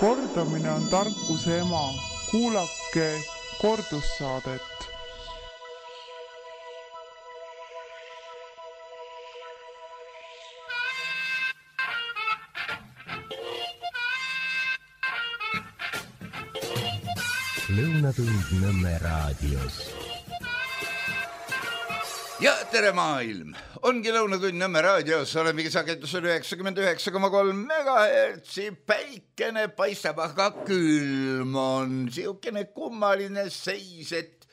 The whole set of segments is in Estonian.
Kordamine on tarkuse ema. Kuulake kordussaadet. Lõunatund Nõmme raadios. Ja tere maailm! Ongi Lõunatund Nõmme raadios, olemegi sagedusel 99,3 megahertsi, päikene paistab, aga külm on. Siukene kummaline seis, et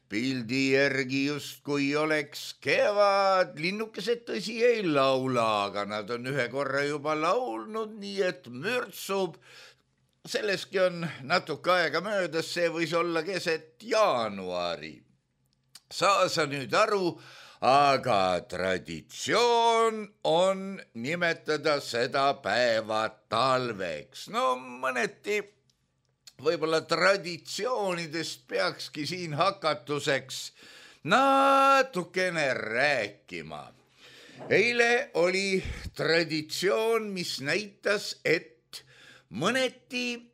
pildi järgi justkui oleks kevad. Linnukesed tõsi ei laula, aga nad on ühe korra juba laulnud, nii et mürtsub. Selleski on natuke aega möödas, see võis olla keset jaanuari. Saa sa nüüd aru, aga traditsioon on nimetada seda päeva talveks. No mõneti võib-olla traditsioonidest peakski siin hakatuseks natukene rääkima. Eile oli traditsioon, mis näitas, et mõneti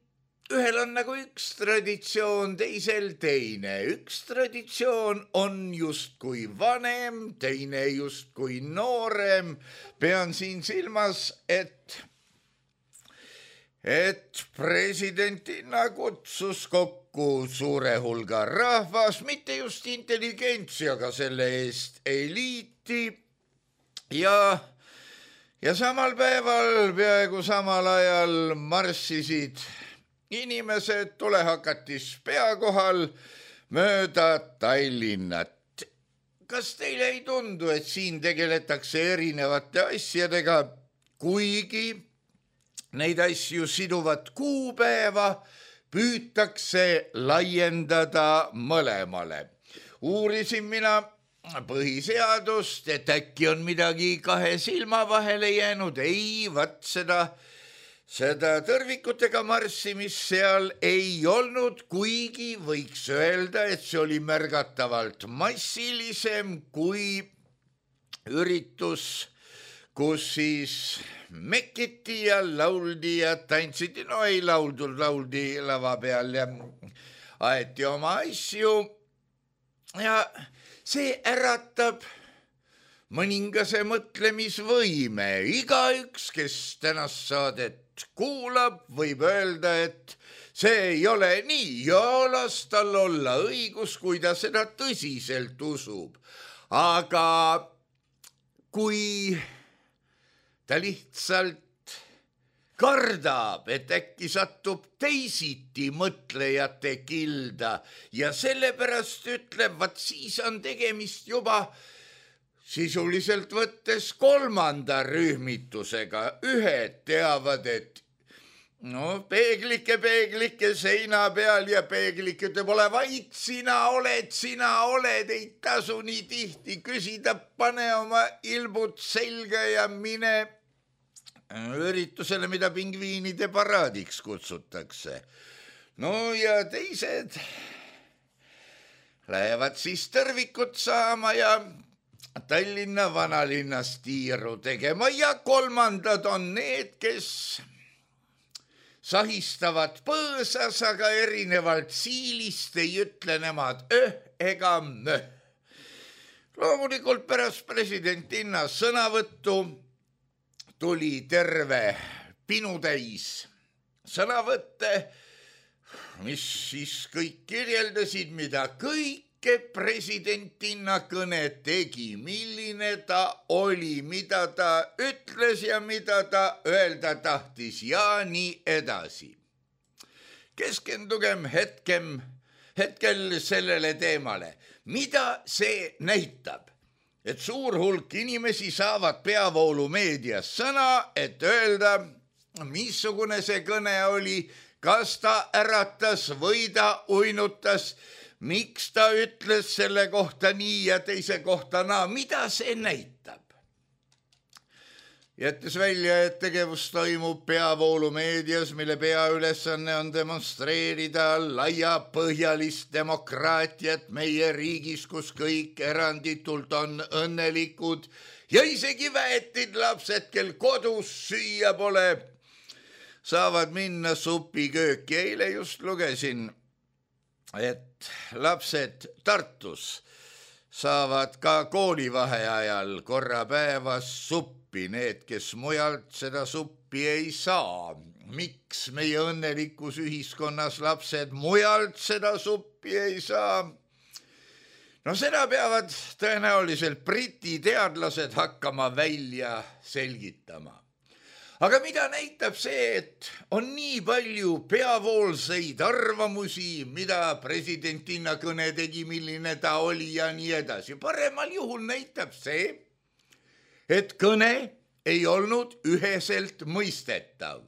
ühel on nagu üks traditsioon, teisel teine. Üks traditsioon on justkui vanem, teine justkui noorem. Pean siin silmas, et presidentina kutsus kokku suure hulga rahvas, mitte just intelligentsiaga selle eest eliiti ja samal päeval, peaaegu samal ajal marssisid inimesed tulehakatis pea kohal mööda Tallinnat. Kas teile ei tundu, et siin tegeletakse erinevate asjadega, kuigi neid asju siduvat kuupäeva püütakse laiendada mõlemale? Uurisin mina põhiseadust, et äkki on midagi kahe silma vahele jäänud. Ei, vat seda tõrvikutega marssimist seal ei olnud, kuigi võiks öelda, et see oli märgatavalt massilisem kui üritus, kus siis mekiti ja lauldi ja tantsiti. No ei lauldud, lauldi lava peal ja aeti oma asju ja see äratab mõningase mõtlemisvõime. Igaüks, kes tänast saadet kuulab, võib öelda, et see ei ole nii ja las tal olla õigus, kui ta seda tõsiselt usub. Aga kui ta lihtsalt kardab, et äkki satub teisiti mõtlejate kilda ja sellepärast ütleb, vaat siis on tegemist juba sisuliselt võttes kolmanda rühmitusega. Ühed teavad, et peeglike seina peal ja peeglik ütleb, ole vait, sina oled, ei tasu nii tihti küsida, pane oma ilmud selga ja mine üritusele, mida pingviinide paraadiks kutsutakse. No ja teised lähevad siis tõrvikut saama ja Tallinna vanalinnas tiiru tegema ja kolmandad on need, kes sahistavad põõsas, aga erinevalt siilist ei ütle nemad ega möh. Loomulikult pärast presidentinna sõnavõttu tuli terve pinutäis sõnavõtte, mis siis kõik kirjeldasid, mida kõike presidentinna kõne tegi, milline ta oli, mida ta ütles ja mida ta öelda tahtis ja nii edasi. Keskendugem hetkel sellele teemale. Mida see näitab? Et suur hulk inimesi saavad peavoolumeedias sõna, et öelda, missugune see kõne oli, kas ta äratas või ta uinutas, miks ta ütles selle kohta nii ja teise kohta naa, mida see näitab? Jättes välja, et tegevus toimub peavoolumeedias, mille peaülesanne on demonstreerida laiapõhjalist demokraatiat meie riigis, kus kõik eranditult on õnnelikud ja isegi väetid lapsed, kel kodus süüa pole, saavad minna supikööki. Eile just lugesin, et lapsed Tartus saavad ka koolivaheajal korra päevas suppi, need, kes mujalt seda suppi ei saa. Miks meie õnnelikus ühiskonnas lapsed mujalt seda suppi ei saa? No seda peavad tõenäoliselt Briti teadlased hakkama välja selgitama. Aga mida näitab see, et on nii palju peavoolseid arvamusi, mida presidentina kõne tegi, milline ta oli ja nii edasi. Paremal juhul näitab see, et kõne ei olnud üheselt mõistetav.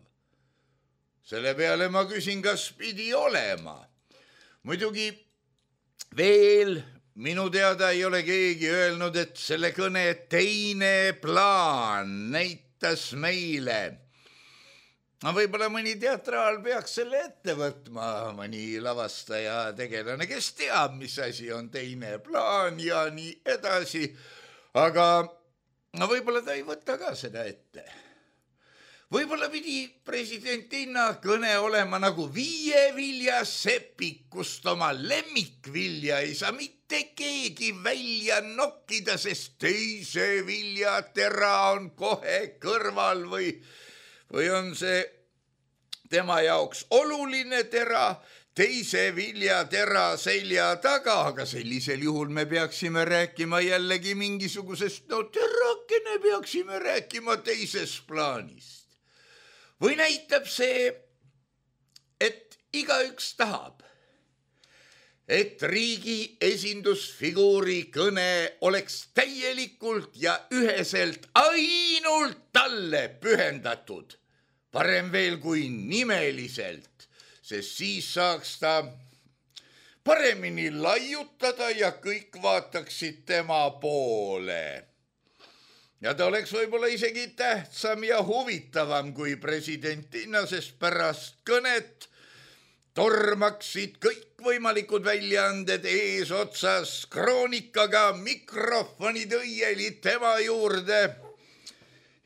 Selle peale ma küsin, kas pidi olema. Muidugi veel minu teada ei ole keegi öelnud, et selle kõne teine plaan näitas meile. Võib-olla mõni teatraal peaks selle ette võtma, mõni lavastaja tegelane, kes teab, mis asi on teine plaan ja nii edasi. Aga võib-olla ta ei võta ka seda ette. Võib-olla pidi presidentina kõne olema nagu viieviljasepik, kust oma lemmikvilja ei saa mitte keegi välja nokkida, sest teise viljatera on kohe kõrval või on see tema jaoks oluline tera, teise viljatera selja taga, aga sellisel juhul me peaksime rääkima jällegi mingisugusest, terakene peaksime rääkima teises plaanist. Või näitab see, et igaüks tahab, et riigi esindusfiguuri kõne oleks täielikult ja üheselt ainult talle pühendatud, parem veel kui nimeliselt, sest siis saaks ta paremini laiutada ja kõik vaataksid tema poole. Ja ta oleks võib-olla isegi tähtsam ja huvitavam kui presidentina, sest pärast kõnet tormaksid kõikvõimalikud väljaanded eesotsas kroonikaga mikrofonid õieli tema juurde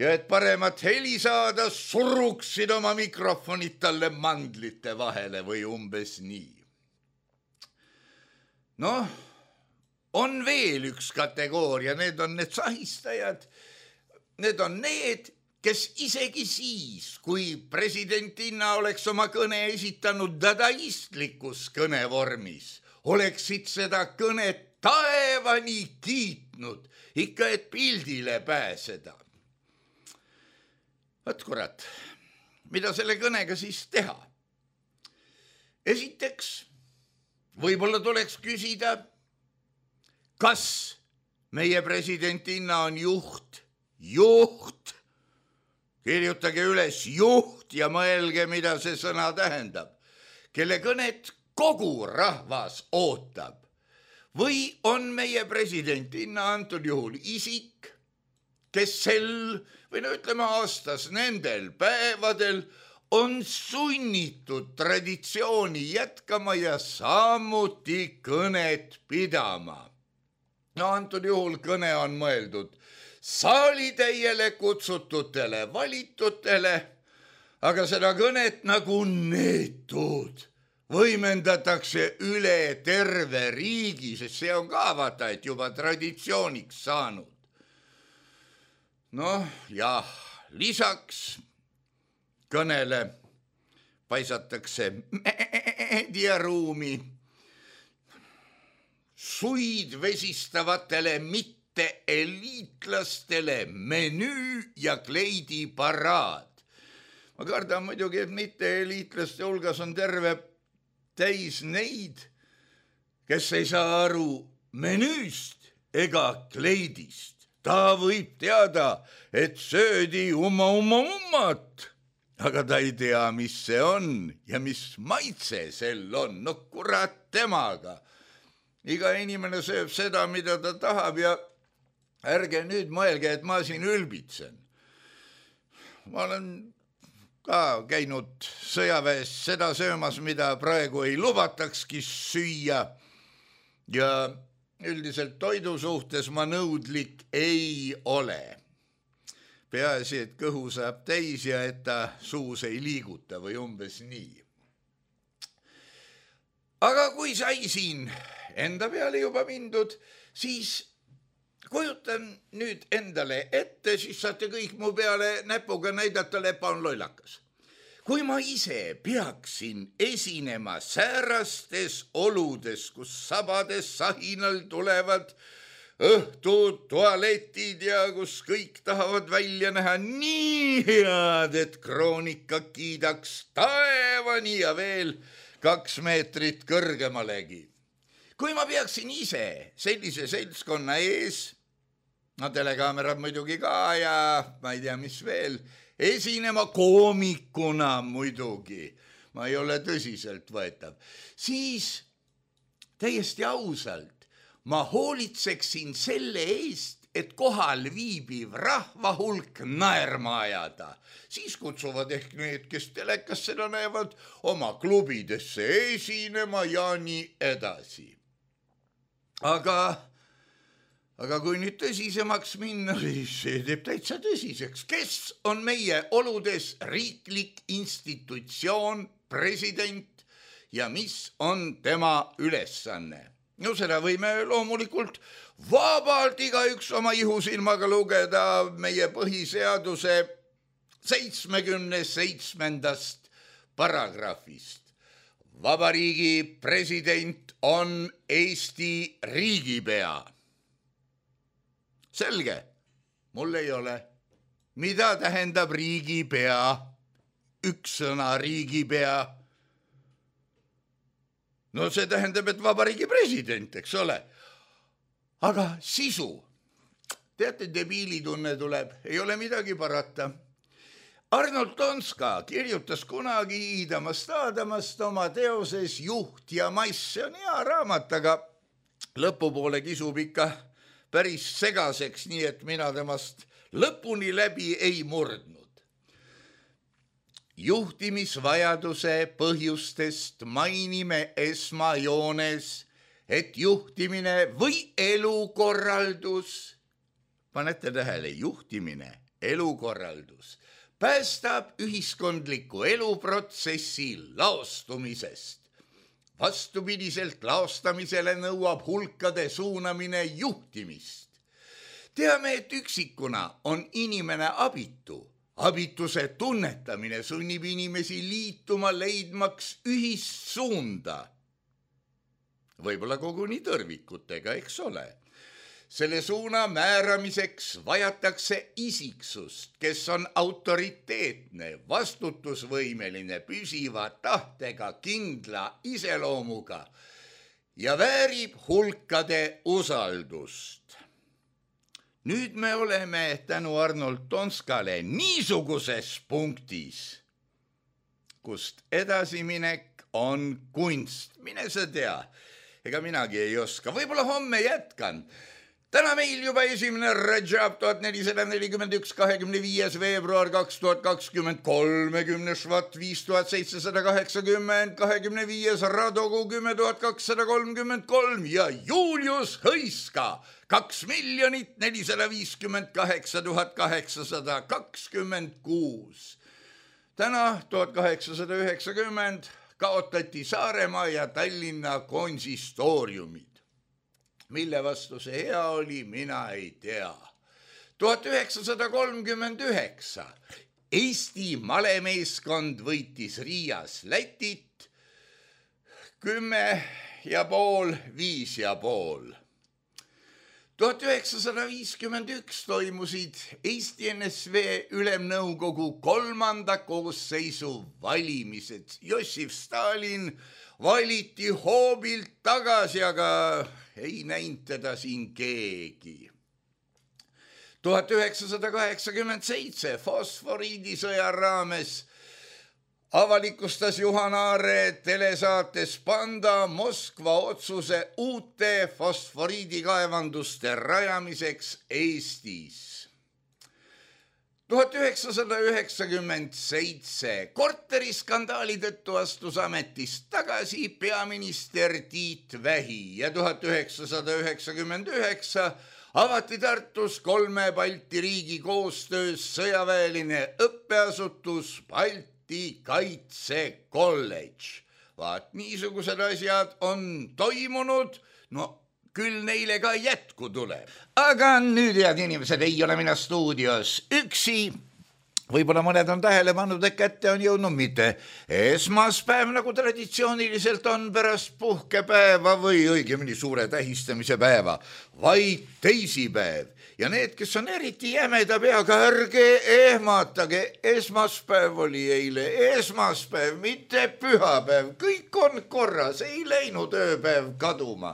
ja et paremat heli saada, suruksid oma mikrofonid talle mandlite vahele või umbes nii. Noh, on veel üks kategooria, need on need sahistajad. Need on need, kes isegi siis, kui presidentina oleks oma kõne esitanud dadaistlikus kõnevormis, oleksid seda kõnet taevani kiitnud, ikka et pildile pääseda. Võt kurat, mida selle kõnega siis teha? Esiteks, võib-olla tuleks küsida, kas meie presidentina on juht, kirjutage üles juht ja mõelge, mida see sõna tähendab, kelle kõnet kogu rahvas ootab. Või on meie presidentina antud juhul isik, kes aastas nendel päevadel on sunnitud traditsiooni jätkama ja samuti kõnet pidama. Antud juhul kõne on mõeldud saalitäiele kutsututele valitutele, aga seda kõnet nagu neetud võimendatakse üle terve riigi, sest see on ka vaata, et juba traditsiooniks saanud. Noh, jah, lisaks kõnele paisatakse meediaruumi suid vesistavatele mitte eliitlastele menüü ja kleidiparaad. Ma kardan muidugi, et mitte eliitlaste hulgas on terve täis neid, kes ei saa aru menüüst ega kleidist. Ta võib teada, et söödi ummat, aga ta ei tea, mis see on ja mis maitse sel on. No kurat temaga. Iga inimene sööb seda, mida ta tahab ja ärge nüüd mõelge, et ma siin ülbitsen. Ma olen ka käinud sõjaväes seda söömas, mida praegu ei lubatakski süüa ja üldiselt toidu suhtes ma nõudlik ei ole. peaasi, et kõhu saab täis ja et ta suus ei liiguta või umbes nii. Aga kui sai siin enda peale juba mindud, siis kujutan nüüd endale ette, siis saate kõik mu peale näpuga näidata, lepa on lollakas. Kui ma ise peaksin esinema säärastes oludes, kus sabades sahinal tulevad õhtud, tualetid ja kus kõik tahavad välja näha nii head, et kroonika kiidaks taevani ja veel 2 meetrit kõrgemalegi. Kui ma peaksin ise sellise seltskonna ees, no telekaamerad muidugi ka ja ma ei tea, mis veel, esinema koomikuna muidugi, ma ei ole tõsiselt võetav, siis täiesti ausalt ma hoolitseksin selle eest, et kohal viibiv rahvahulk naerma ajada. Siis kutsuvad ehk need, kes telekas seda näevad, oma klubidesse esinema ja nii edasi. Aga kui nüüd tõsisemaks minna, siis see teeb täitsa tõsiseks. Kes on meie oludes riiklik institutsioon, president ja mis on tema ülesanne? No seda võime loomulikult vabalt igaüks oma ihusilmaga lugeda meie põhiseaduse 77. paragrahvist. Vabariigi president on Eesti riigipea. Selge, mul ei ole. Mida tähendab riigipea? Üks sõna riigipea. No see tähendab, et vabariigi president, eks ole. Aga sisu. Teate, debiilitunne tuleb, ei ole midagi parata. Arnold Tonska kirjutas kunagi Iidamast Aadamast oma teoses Juht ja mass. See on hea raamat, aga lõpupoole kisub ikka päris segaseks, nii et mina temast lõpuni läbi ei murdnud. Juhtimisvajaduse põhjustest mainime esmajoones, et juhtimine või elukorraldus, panete tähele, juhtimine, elukorraldus, päästab ühiskondliku eluprotsessi laostumisest. Vastupidiselt laostamisele nõuab hulkade suunamine juhtimist. Teame, et üksikuna on inimene abitu. Abituse tunnetamine sunnib inimesi liituma leidmaks ühist suunda. Võib-olla koguni tõrvikutega, eks ole. Selle suuna määramiseks vajatakse isiksust, kes on autoriteetne, vastutusvõimeline, püsiva tahtega, kindla iseloomuga ja väärib hulkade usaldust. Nüüd me oleme tänu Arnold Tonskale niisuguses punktis, kust edasiminek on kunst. Mine sa tea, ega minagi ei oska. Võib-olla homme jätkan. Täna meil juba 1. Rajab 1441, 25. veebruar 2020, 30. švat 5780, 25. Radogu 10233 ja Julius Hõiska 2 458 826. Täna 1890 kaotati Saaremaa ja Tallinna konsistooriumid. Mille vastu see hea oli, mina ei tea. 1939 Eesti malemeeskond võitis Riias Lätit 10,5, 5,5. 1951 toimusid Eesti NSV Ülemnõukogu 3. koosseisu valimised. Jossif Stalin valiti hoobilt tagasi, aga ei näinud teda siin keegi. 1987 fosforiidisõja raames avalikustas Juhan Aare telesaates Panda Moskva otsuse uute fosforiidikaevanduste rajamiseks Eestis. 1997 korteriskandaali tõttu astus ametist tagasi peaminister Tiit Vähi ja 1999 avati Tartus 3 Balti riigi koostöös sõjaväeline õppeasutus Balti Kaitsekolledž. Vaat niisugused asjad on toimunud, no küll neile ka jätku tuleb. Aga nüüd, head inimesed, ei ole mina stuudios üksi. Võib-olla mõned on tähele pannud, et kätte on jõudnud mitte esmaspäev, nagu traditsiooniliselt on pärast puhkepäeva või õigemini suure tähistamise päeva, vaid teisipäev. Ja need, kes on eriti jämeda peaga, ärge ehmatage, esmaspäev oli eile, esmaspäev, mitte pühapäev, kõik on korras, ei läinud ööpäev kaduma.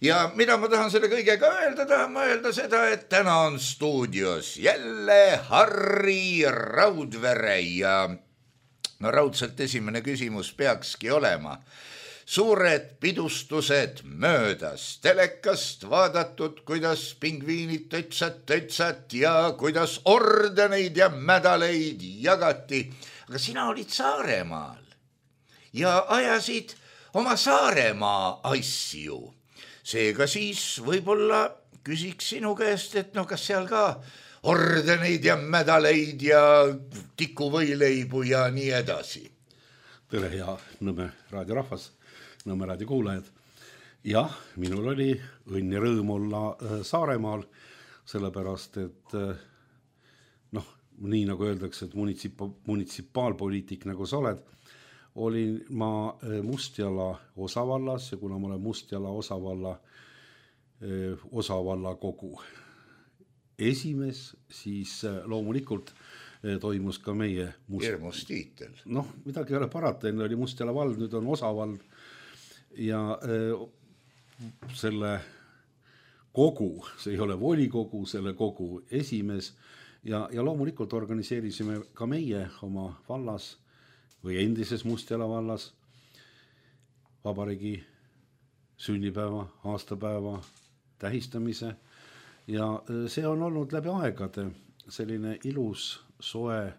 Ja mida ma tahan selle kõigega öelda, tahan ma öelda seda, et täna on stuudios jälle Harri Raudvere ja no raudselt esimene küsimus peakski olema. Suured pidustused möödas, telekast vaadatud, kuidas pingviinid tötsat ja kuidas ordeneid ja mädaleid jagati. Aga sina olid Saaremaal ja ajasid oma Saaremaa asju. Seega siis võib-olla küsiks sinu käest, et no kas seal ka ordeneid ja mädaleid ja tikuvõileibu ja nii edasi. Tere, hea Nõmme raadirahvas, Nõmme raadikuulajad. Jah, minul oli õnn ja rõõm olla Saaremaal, sellepärast, et nii nagu öeldakse, et munitsipaalpoliitik nagu sa oled, olin ma Mustjala osavallas ja kuna ma olen Mustjala osavalla kogu esimees, siis loomulikult toimus ka meie hirmus tiitel. Midagi ei ole parata, enne oli Mustjala vald, nüüd on osavald ja selle kogu, see ei ole volikogu, selle kogu esimees ja loomulikult organiseerisime ka meie oma vallas või endises Mustjala vallas vabariigi sünnipäeva, aastapäeva tähistamise ja see on olnud läbi aegade selline ilus, soe,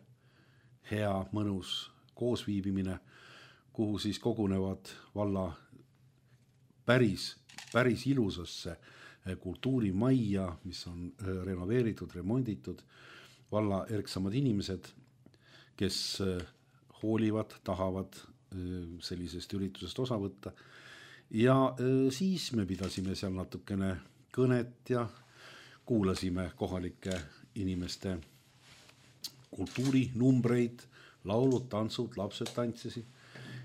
hea, mõnus koosviibimine, kuhu siis kogunevad valla päris ilusasse kultuurimajja, mis on renoveeritud, remonditud, valla erksamad inimesed, kes hoolivad, tahavad sellisest üritusest osa võtta. Ja siis me pidasime seal natukene kõnet ja kuulasime kohalike inimeste kultuurinumbreid, laulud, tantsud, lapsed tantsisid.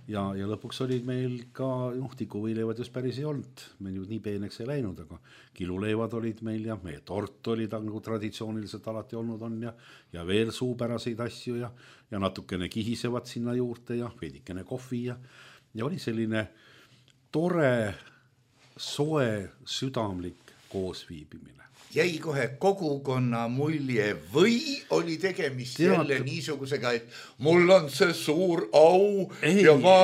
Ja lõpuks olid meil ka tikuvõileivad just päris ei olnud. Me nüüd nii peeneks ei läinud, aga kiluleivad olid meil ja meie tort oli nagu traditsiooniliselt alati olnud on ja veel suupäraseid asju ja natukene kihisevad sinna juurde ja veidikene kohvi ja oli selline tore, soe, südamlik koosviibimine. Jäi kohe kogukonna mulje või oli tegemist jälle niisugusega, et mul on see suur au ja ma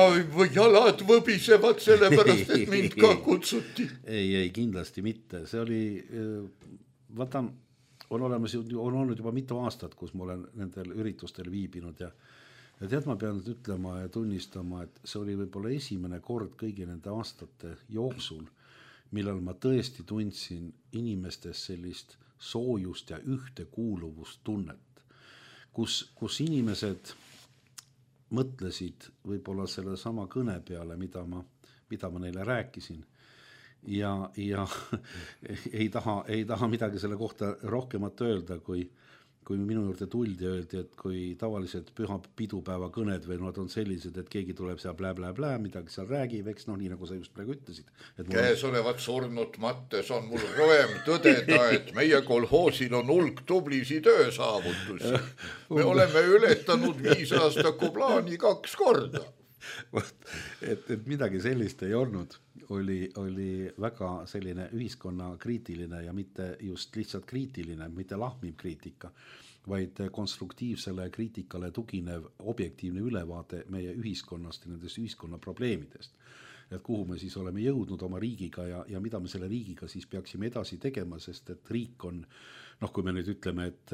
jalad võbisevad sellepärast, et mind ka kutsuti? Ei, kindlasti mitte. See oli, on olnud juba mitu aastat, kus ma olen nendel üritustel viibinud ja tead, ma pean ütlema ja tunnistama, et see oli võib-olla esimene kord kõigi nende aastate jooksul, millal ma tõesti tundsin inimestes sellist soojust ja ühtekuuluvust tunnet, kus inimesed mõtlesid võib-olla selle sama kõne peale, mida ma neile rääkisin ja ei taha midagi selle kohta rohkemat öelda, kui minu juurde tuldi ja öeldi, et kui tavalised püha pidupäeva kõned või nad on sellised, et keegi tuleb seal blä, midagi seal räägib, eks nii nagu sa just praegu ütlesid. Käes olevat surnud mattes on mul rõõm tõdeda, et meie kolhoosil on hulk tublisi töösaavutusi. Me oleme ületanud 5 aastaku plaani 2 korda. Et midagi sellist ei olnud, oli väga selline ühiskonna kriitiline ja mitte just lihtsalt kriitiline, mitte lahmiv kriitika, vaid konstruktiivsele kriitikale tuginev objektiivne ülevaade meie ühiskonnast ja nendest ühiskonna probleemidest. Et kuhu me siis oleme jõudnud oma riigiga ja mida me selle riigiga siis peaksime edasi tegema, sest et riik on, kui me nüüd ütleme, et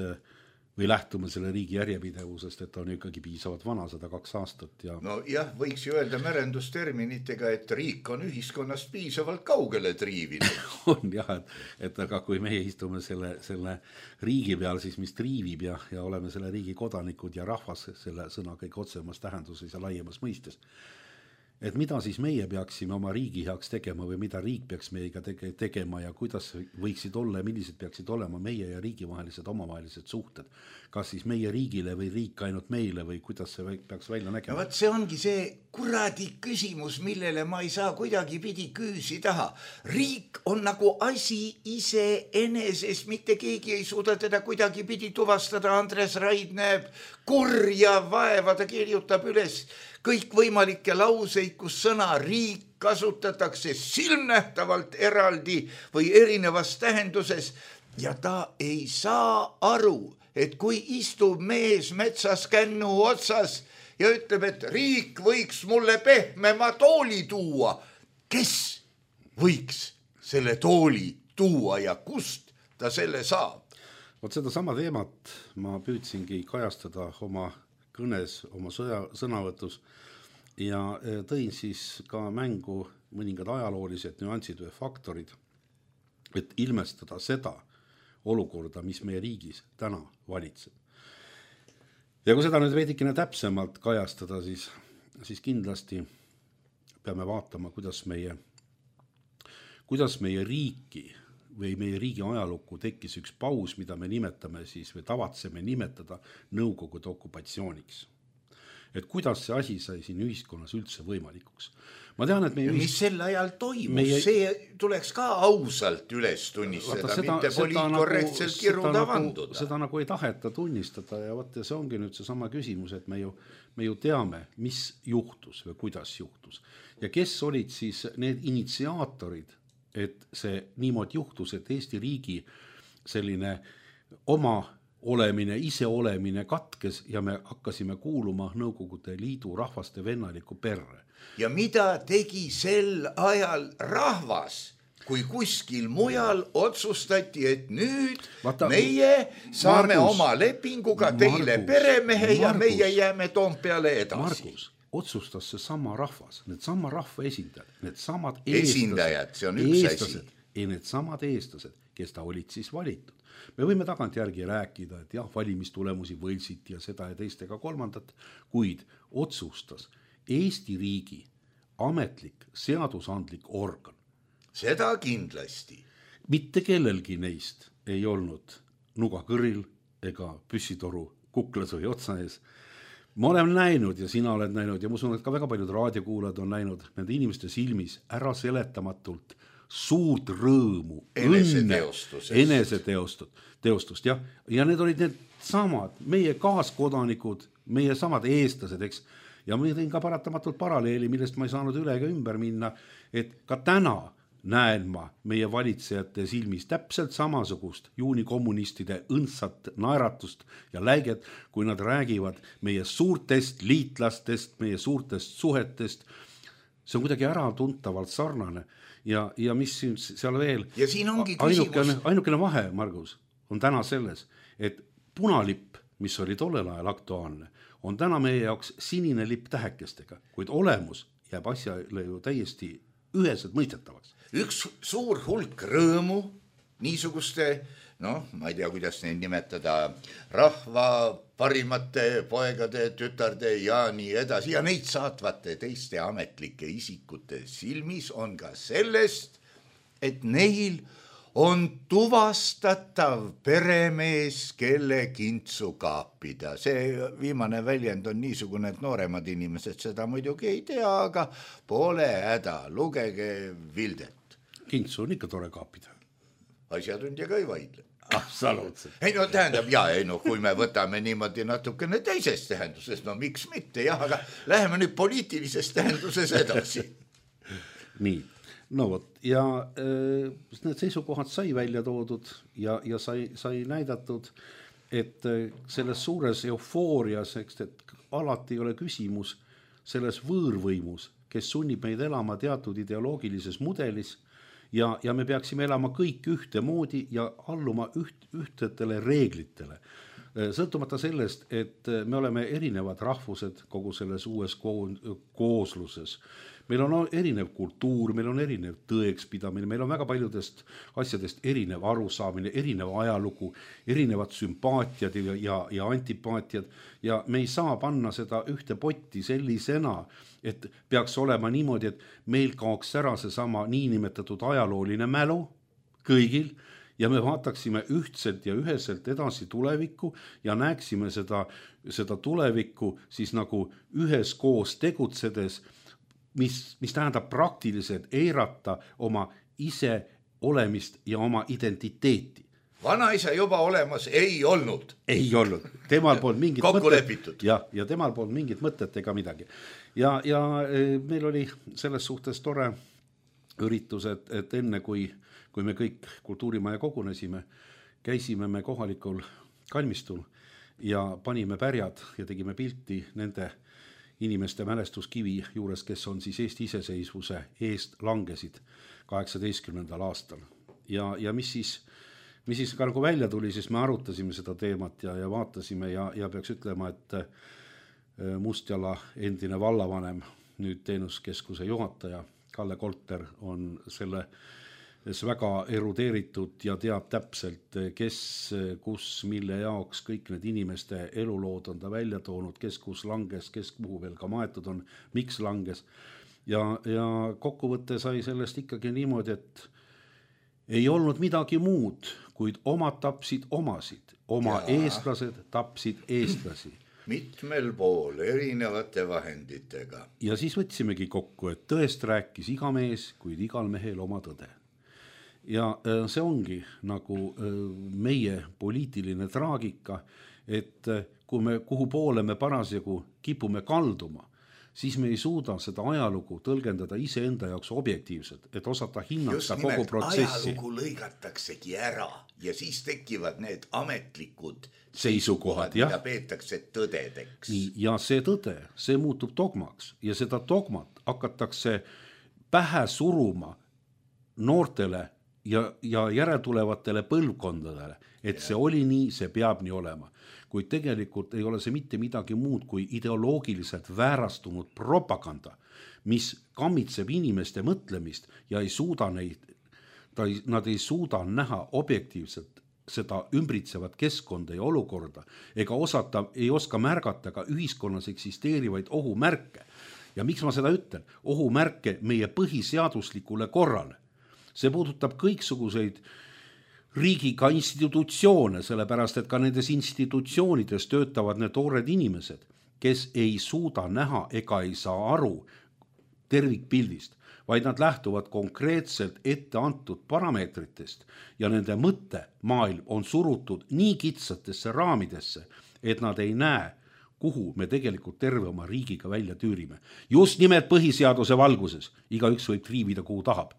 või lähtume selle riigi järjepidevusest, et on ikkagi piisavalt vana, 102 aastat ja no jah, võiks ju öelda merendusterminitega, et riik on ühiskonnast piisavalt kaugele triivinud. on jah, et aga kui meie istume selle riigi peal, siis mis triivib ja oleme selle riigi kodanikud ja rahvas selle sõna kõik otsemas tähenduses ja laiemas mõistes. Et mida siis meie peaksime oma riigi heaks tegema või mida riik peaks meiega tegema ja kuidas võiksid olla ja millised peaksid olema meie ja riigi vahelised omavahelised suhted. Kas siis meie riigile või riik ainult meile või kuidas see peaks välja nägema? No, see ongi see kuradi küsimus, millele ma ei saa kuidagi pidi küüsi taha. Riik on nagu asi ise eneses, mitte keegi ei suuda teda kuidagi pidi tuvastada. Andres Raid näeb kurja vaeva, ta kirjutab üles kõikvõimalikke lauseid, kus sõna riik kasutatakse silmnähtavalt eraldi või erinevas tähenduses ja ta ei saa aru, et kui istub mees metsas kännu otsas ja ütleb, et riik võiks mulle pehmema tooli tuua, kes võiks selle tooli tuua ja kust ta selle saab? Vot seda sama teemat ma püüdsingi kajastada oma kõnes, oma sõnavõtus ja tõin siis ka mängu mõningad ajaloolised nüansid või faktorid, et ilmestada seda olukorda, mis meie riigis täna valitseb. Ja kui seda nüüd veidikene täpsemalt kajastada, siis kindlasti peame vaatama, kuidas meie riiki või meie riigi ajalukku tekkis üks paus, mida me nimetame siis või tavatseme nimetada Nõukogude okupatsiooniks. Et kuidas see asi sai siin ühiskonnas üldse võimalikuks. Ma tean, et mis sel ajal toimus, see tuleks ka ausalt üles tunnistada, mitte poliitkorrektselt kirjuda vanduda. Seda nagu ei taheta tunnistada ja see ongi nüüd see sama küsimus, et me ju teame, mis juhtus või kuidas juhtus. Ja kes olid siis need initsiaatorid, et see niimoodi juhtus, et Eesti riigi selline oma olemine, iseolemine katkes ja me hakkasime kuuluma Nõukogude Liidu rahvaste vennaliku perre. Ja mida tegi sel ajal rahvas, kui kuskil mujal otsustati, et nüüd meie saame oma lepinguga teile peremehe ja meie jääme Toompeale edasi. Margus, otsustas see sama rahvas, need sama rahva esindajad, need samad esindajad, see on üks asi. Ja need samad eestlased, kes ta olid siis valitud. Me võime tagantjärgi rääkida, et jah, valimistulemusi võlsiti ja seda ja teist ega kolmandat, kuid otsustas Eesti riigi ametlik seadusandlik organ. Seda kindlasti. Mitte kellelgi neist ei olnud nuga kõril ega püssitoru kuklas või otsa ees. Ma olen näinud ja sina oled näinud ja ma usun, et ka väga paljud raadiokuulajad on näinud nende inimeste silmis ära seletamatult suurt rõõmu, eneseteostust, jah. Ja need olid need samad, meie kaaskodanikud, meie samad eestlased, eks. Ja ma tõin ka paratamatult paralleeli, millest ma ei saanud üle ega ümber minna, et ka täna näen ma meie valitsejate silmis täpselt samasugust juunikommunistide õndsat naeratust ja läiget, kui nad räägivad meie suurtest liitlastest, meie suurtest suhetest. See on kuidagi äratuntavalt sarnane. Ja mis seal veel? Ja siin ongi küsimus. Ainukene vahe, Margus, on täna selles, et punalipp, mis oli tollel ajal aktuaalne, on täna meie jaoks sinine lipp tähekestega, kuid olemus jääb asjale ju täiesti üheselt mõistetavaks. Üks suur hulk rõõmu niisuguste, ma ei tea, kuidas neid nimetada, rahva parimate poegade, tütarde ja nii edasi ja neid saatvate teiste ametlike isikute silmis on ka sellest, et neil on tuvastatav peremees, kelle kintsu kaapida. See viimane väljend on niisugune, et nooremad inimesed seda muidugi ei tea, aga pole häda, lugege Vildet. Kintsu on ikka tore kaapida. Asjatundja ka ei vaidle. Absoluutselt. Tähendab, kui me võtame niimoodi natukene teises tähenduses, miks mitte, jah, aga läheme nüüd poliitilises tähenduses edasi. Nii, ja need seisukohad sai välja toodud ja sai näidatud, et selles suures eufoorias, et alati ei ole küsimus selles võõrvõimus, kes sunnib meid elama teatud ideoloogilises mudelis, ja me peaksime elama kõik ühtemoodi ja alluma ühtedele reeglitele. sõltumata sellest, et me oleme erinevad rahvused kogu selles uues koosluses. Meil on erinev kultuur, meil on erinev tõekspidamine, meil on väga paljudest asjadest erinev arusaamine, erinev ajalugu, erinevad sümpaatiad ja antipaatiad ja me ei saa panna seda ühte potti sellisena, et peaks olema niimoodi, et meil kaoks ära seesama niinimetatud ajalooline mälu kõigil ja me vaataksime ühtselt ja üheselt edasi tulevikku ja näeksime seda tulevikku siis nagu üheskoos tegutsedes, mis tähendab praktiliselt eirata oma ise olemist ja oma identiteeti. Vanaisa juba olemas ei olnud. Ei olnud. Temal polnud mingit mõtet. Ja temal polnud mingit mõtet ega midagi. Ja meil oli selles suhtes tore üritus, et enne kui me kõik kultuurimaja kogunesime, käisime me kohalikul kalmistul ja panime pärjad ja tegime pilti nende inimeste mälestuskivi juures, kes on siis Eesti iseseisvuse eest langesid 18. aastal. Ja mis siis ka nagu välja tuli, siis me arutasime seda teemat ja vaatasime ja peaks ütlema, et Mustjala endine vallavanem, nüüd teenuskeskuse juhataja Kalle Kolter on selles väga erudeeritud ja teab täpselt, kes, kus, mille jaoks kõik need inimeste elulood on ta välja toonud, kes kus langes, kes kuhu veel ka maetud on, miks langes. Ja kokkuvõtte sai sellest ikkagi niimoodi, et ei olnud midagi muud, kuid omad tapsid omasid, eestlased tapsid eestlasi. Mitmel pool erinevate vahenditega. Ja siis võtsimegi kokku, et tõest rääkis iga mees, kuid igal mehel oma tõde. Ja see ongi nagu meie poliitiline traagika, et kuhu poole me parasjagu kipume kalduma, siis me ei suuda seda ajalugu tõlgendada iseenda jaoks objektiivselt, et osata hinnata kogu protsessi. Just nimelt ajalugu lõigataksegi ära ja siis tekivad need ametlikud seisukohad, mida peetakse tõdedeks. Ja see tõde, see muutub dogmaks ja seda dogmat hakatakse pähe suruma noortele ja järeltulevatele põlvkondadele, et see oli nii, see peab nii olema. Kuid tegelikult ei ole see mitte midagi muud kui ideoloogiliselt väärastunud propaganda, mis kammitseb inimeste mõtlemist ja nad ei suuda näha objektiivselt seda ümbritsevat keskkonda ja olukorda ega ei oska märgata ka ühiskonnas eksisteerivaid ohumärke. Ja miks ma seda ütlen? Ohumärke meie põhiseaduslikule korrale. See puudutab kõiksuguseid riigiga institutsioone, sellepärast et ka nendes institutsioonides töötavad need toored inimesed, kes ei suuda näha ega ei saa aru tervikpildist, vaid nad lähtuvad konkreetselt ette antud parameetritest ja nende mõttemaailm on surutud nii kitsatesse raamidesse, et nad ei näe, kuhu me tegelikult terve oma riigiga välja tüürime. Just nimelt põhiseaduse valguses, igaüks võib triivida kuhu tahab,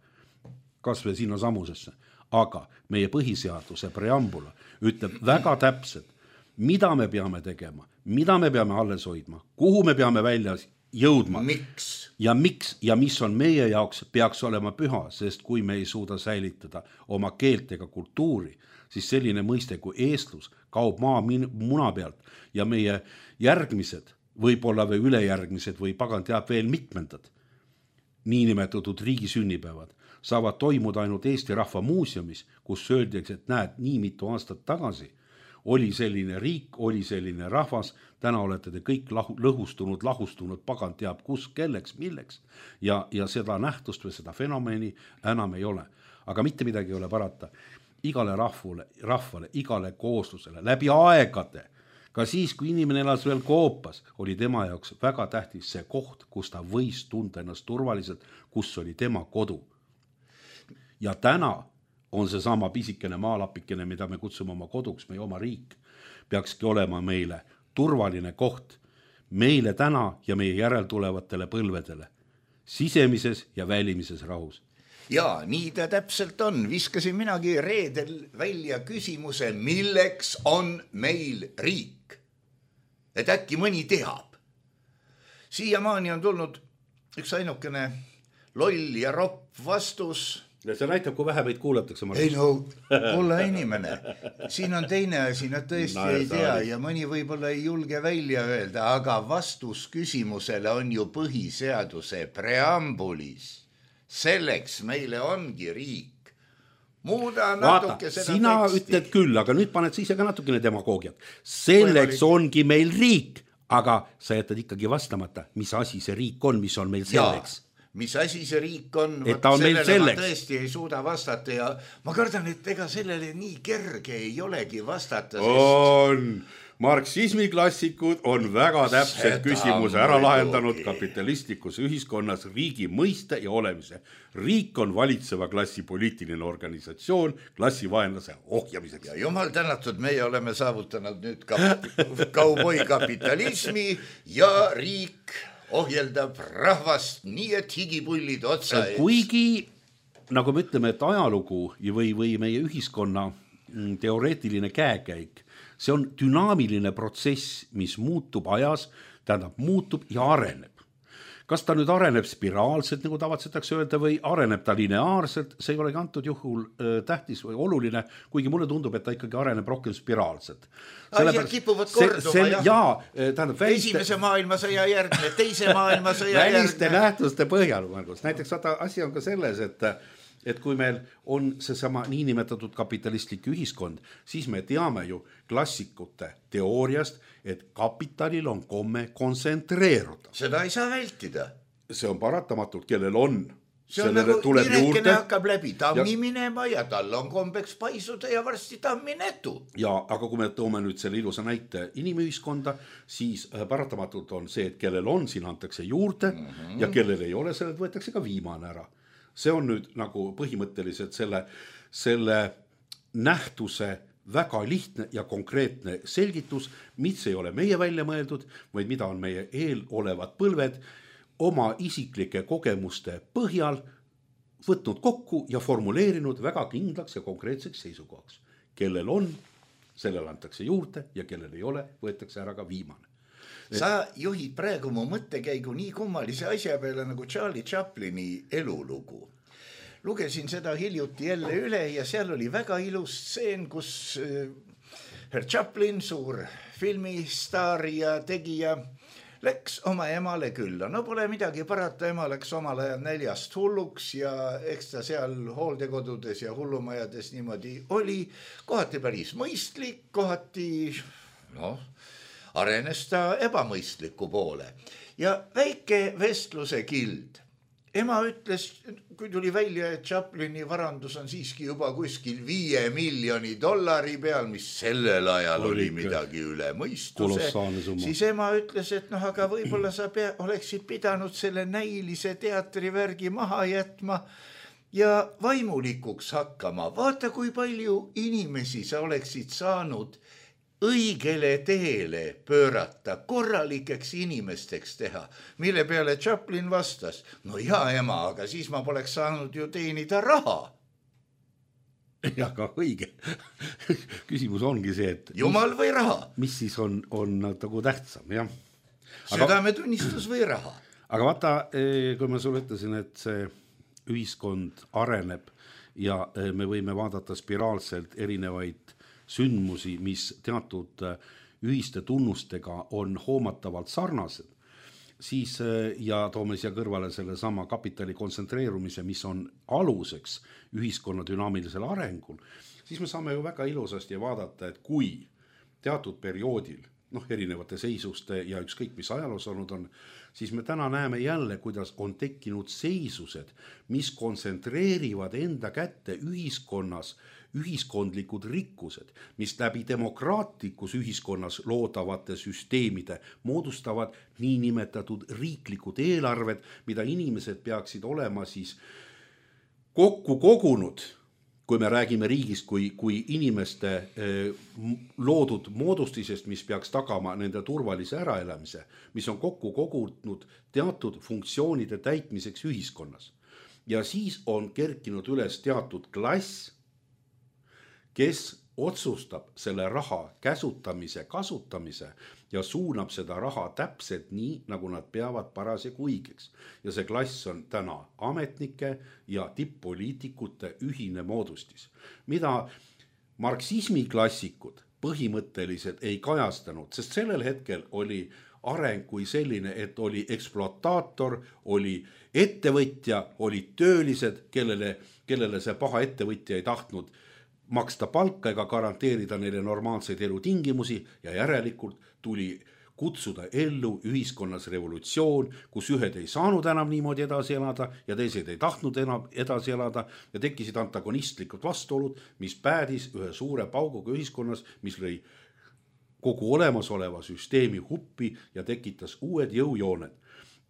kas või sinna samusesse. Aga meie põhiseaduse preambula ütleb väga täpselt, mida me peame tegema, mida me peame alles hoidma, kuhu me peame välja jõudma. Miks? Ja miks ja mis on meie jaoks peaks olema püha, sest kui me ei suuda säilitada oma keelt ega kultuuri, siis selline mõiste kui eestlus kaob muna pealt ja meie järgmised, võib-olla või ülejärgmised või pagan teab veel mitmendad niinimetatud riigi sünnipäevad saavad toimuda ainult Eesti Rahva Muuseumis, kus öeldakse, et näed, nii mitu aastat tagasi oli selline riik, oli selline rahvas, täna olete te kõik lahustunud, pagan teab kus, kelleks, milleks ja seda nähtust või seda fenomeni enam ei ole. Aga mitte midagi ei ole parata. Igale rahvale, igale kooslusele, läbi aegade, ka siis, kui inimene elas veel Koopas, oli tema jaoks väga tähtis see koht, kus ta võis tunda ennast turvaliselt, kus oli tema kodu. Ja täna on see sama pisikene maalapikene, mida me kutsume oma koduks, meie oma riik, peakski olema meile turvaline koht, meile täna ja meie järeltulevatele põlvedele, sisemises ja välimises rahus. Ja nii ta täpselt on. Viskasin minagi reedel välja küsimuse, milleks on meil riik? Et äkki mõni teab. Siiamaani on tulnud üks ainukene loll ja ropp vastus, Ja see näitab, kui vähe meid kuulatakse. Ei no, olla inimene. Siin on teine asi, nad tõesti ei tea ja mõni võib-olla ei julge välja öelda, aga vastus küsimusele on ju põhiseaduse preambulis. Selleks meile ongi riik. Muuda natuke seda sina teksti. Ütled küll, aga nüüd paned sa ise ka natukene demagoogiat. Selleks ongi meil riik, aga sa jätad ikkagi vastamata, mis asi see riik on, mis on meil selleks. Mis asi see riik on, sellele ma tõesti ei suuda vastata ja ma kardan, et ega sellele nii kerge ei olegi vastata. On. Marksismi klassikud on väga täpselt küsimuse ära lahendanud kapitalistlikus ühiskonnas riigi mõiste ja olemise. Riik on valitseva klassi poliitiline organisatsioon klassivaenlase ohjamiseks. Ja jumal tänatud, meie oleme saavutanud nüüd kauboi kapitalismi ja riik ohjeldab rahvast nii, et higipullid otsa ees. Kuigi, nagu me ütleme, et ajalugu või meie ühiskonna teoreetiline käekäik, see on dünaamiline protsess, mis muutub ajas, tähendab muutub ja areneb. Kas ta nüüd areneb spiraalselt, nagu tavatsetakse öelda, või areneb ta lineaarselt, see ei olegi antud juhul tähtis või oluline, kuigi mulle tundub, et ta ikkagi areneb rohkem spiraalselt. Asjad kipuvad korduma, esimese maailmasõja järgne, teise maailmasõja järgne. Väliste nähtuste põhjal, näiteks asi on ka selles, et kui meil on seesama niinimetatud kapitalistlik ühiskond, siis me teame ju klassikute teooriast, et kapitalil on komme kontsentreeruda. Seda ei saa vältida. See on paratamatult, kellel on. See on nagu direkene hakkab läbi tammi minema ja tal on kombeks paisuda ja varsti tamminetu. Ja, aga kui me toome nüüd selle ilusa näite inimühiskonda, siis paratamatult on see, et kellel on, siin antakse juurde ja kellel ei ole, sellelt võetakse ka viimane ära. See on nüüd nagu põhimõtteliselt selle nähtuse väga lihtne ja konkreetne selgitus, mis ei ole meie välja mõeldud, vaid mida on meie eelolevad põlved oma isiklike kogemuste põhjal võtnud kokku ja formuleerinud väga kindlaks ja konkreetseks seisukohaks. Kellel on, sellel antakse juurde ja kellel ei ole, võetakse ära ka viimane. Sa juhid praegu mu mõttekäigu nii kummalise asja peale nagu Charlie Chaplini elulugu. Lugesin seda hiljuti jälle üle ja seal oli väga ilus stseen, kus Herr Chaplin, suur filmistaar ja tegija, läks oma emale külla. No pole midagi parata, ema läks omal ajal näljast hulluks ja eks ta seal hooldekodudes ja hullumajades niimoodi oli. Kohati päris mõistlik, kohati arenes ta ebamõistliku poole. Ja väike vestluse kild. Ema ütles, kui tuli välja, et Chaplini varandus on siiski juba kuskil $5 miljoni peal, mis sellel ajal oli midagi üle mõistuse, siis ema ütles, et aga võib-olla sa oleksid pidanud selle näilise teatrivärgi maha jätma ja vaimulikuks hakkama. Vaata, kui palju inimesi sa oleksid saanud õigele teele pöörata, korralikeks inimesteks teha, mille peale Chaplin vastas, no ja ema, aga siis ma poleks saanud ju teenida raha. Ja ka õige. Küsimus ongi see, et jumal või raha? Mis siis on nagu tähtsam, jah. Südametunnistus või raha? Aga vaata, kui ma sulle ütlesin, et see ühiskond areneb ja me võime vaadata spiraalselt erinevaid sündmusi, mis teatud ühiste tunnustega on hoomatavalt sarnased, siis ja toome siia kõrvale selle sama kapitali kontsentreerumise, mis on aluseks ühiskonna dünaamilisel arengul, siis me saame ju väga ilusasti vaadata, et kui teatud perioodil, erinevate seisuste ja ükskõik mis ajaloos olnud on, siis me täna näeme jälle, kuidas on tekkinud seisused, mis kontsentreerivad enda kätte ühiskonnas ühiskondlikud rikkused, mis läbi demokraatlikus ühiskonnas loodavate süsteemide moodustavad niinimetatud riiklikud eelarved, mida inimesed peaksid olema siis kokku kogunud, kui me räägime riigist kui inimeste loodud moodustisest, mis peaks tagama nende turvalise äraelamise, mis on kokku kogunud teatud funktsioonide täitmiseks ühiskonnas. Ja siis on kerkinud üles teatud klass, kes otsustab selle raha käsutamise, kasutamise ja suunab seda raha täpselt nii, nagu nad peavad parasjagu õigeks. Ja see klass on täna ametnike ja tipp-poliitikute ühine moodustis, mida marksismi klassikud põhimõtteliselt ei kajastanud, sest sellel hetkel oli areng kui selline, et oli ekspluataator, oli ettevõtja, olid töölised, kellele see paha ettevõtja ei tahtnud maksta palka ega garanteerida neile normaalseid elutingimusi ja järelikult tuli kutsuda ellu ühiskonnas revolutsioon, kus ühed ei saanud enam niimoodi edasi elada ja teised ei tahtnud enam edasi elada ja tekkisid antagonistlikud vastuolud, mis päädis ühe suure pauguga ühiskonnas, mis lõi kogu olemasoleva süsteemi huppi ja tekitas uued jõujooned.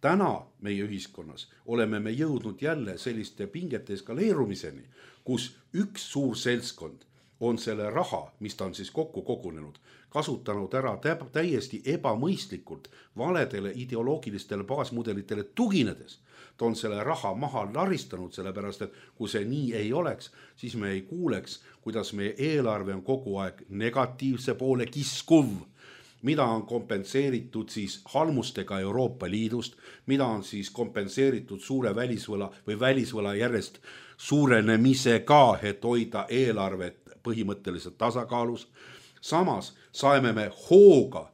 Täna meie ühiskonnas oleme me jõudnud jälle selliste pingete eskaleerumiseni, kus üks suur seltskond on selle raha, mis ta on siis kokku kogunenud, kasutanud ära täiesti ebamõistlikult valedele ideoloogilistele baasmudelitele tuginedes. Ta on selle raha maha laristanud, sellepärast, et kui see nii ei oleks, siis me ei kuuleks, kuidas meie eelarve on kogu aeg negatiivse poole kiskuv, mida on kompenseeritud siis halmustega Euroopa Liidust, mida on siis kompenseeritud suure välisvõla järjest suurenemisega, et hoida eelarvet põhimõtteliselt tasakaalus. Samas saime me hooga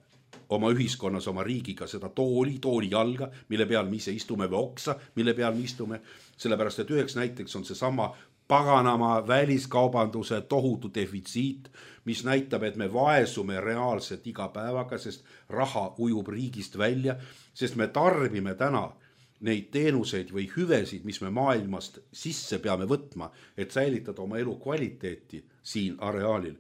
oma ühiskonnas, oma riigiga seda tooli jalga, mille peal me ise istume või oksa, mille peal me istume, sellepärast et üheks näiteks on see sama paganama väliskaubanduse tohutu defitsiit, mis näitab, et me vaesume reaalselt iga päevaga, sest raha ujub riigist välja, sest me tarbime täna neid teenuseid või hüvesid, mis me maailmast sisse peame võtma, et säilitada oma elu kvaliteeti siin areaalil.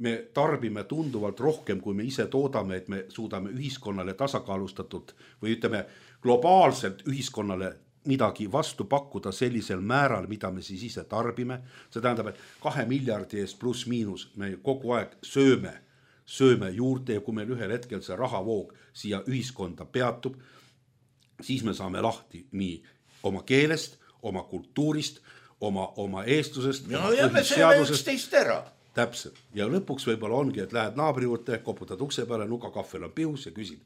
Me tarbime tunduvalt rohkem, kui me ise toodame, et me suudame ühiskonnale tasakaalustatult või ütleme globaalselt ühiskonnale midagi vastu pakkuda sellisel määral, mida me siis ise tarbime. See tähendab, et 2 miljardi eest pluss miinus me kogu aeg sööme juurde ja kui meil ühel hetkel see rahavoog siia ühiskonda peatub, siis me saame lahti nii oma keelest, oma kultuurist, oma eestlusest. Ja me sööme üksteist ära. Täpselt. Ja lõpuks võib-olla ongi, et lähed naabri juurde, koputad ukse peale, nuka kahvel on pihus ja küsid,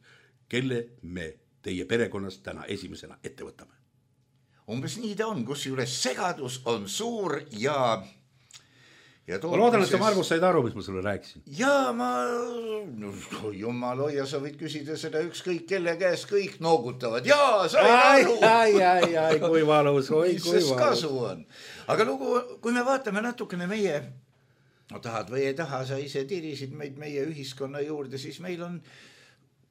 kelle me teie perekonnast täna esimesena ette võtame. Umbes nii ta on, kus juures segadus on suur ja ma loodan, et sa Margus said aru, mis ma sulle rääkisin. Ja jumal hoia, sa võid küsida seda ükskõik kelle käes, kõik noogutavad. Jaa, sain aru. Ai, kui valus, mis kasu on. Aga lugu, kui me vaatame natukene meie, tahad või ei taha, sa ise tirisid meid meie ühiskonna juurde, siis meil on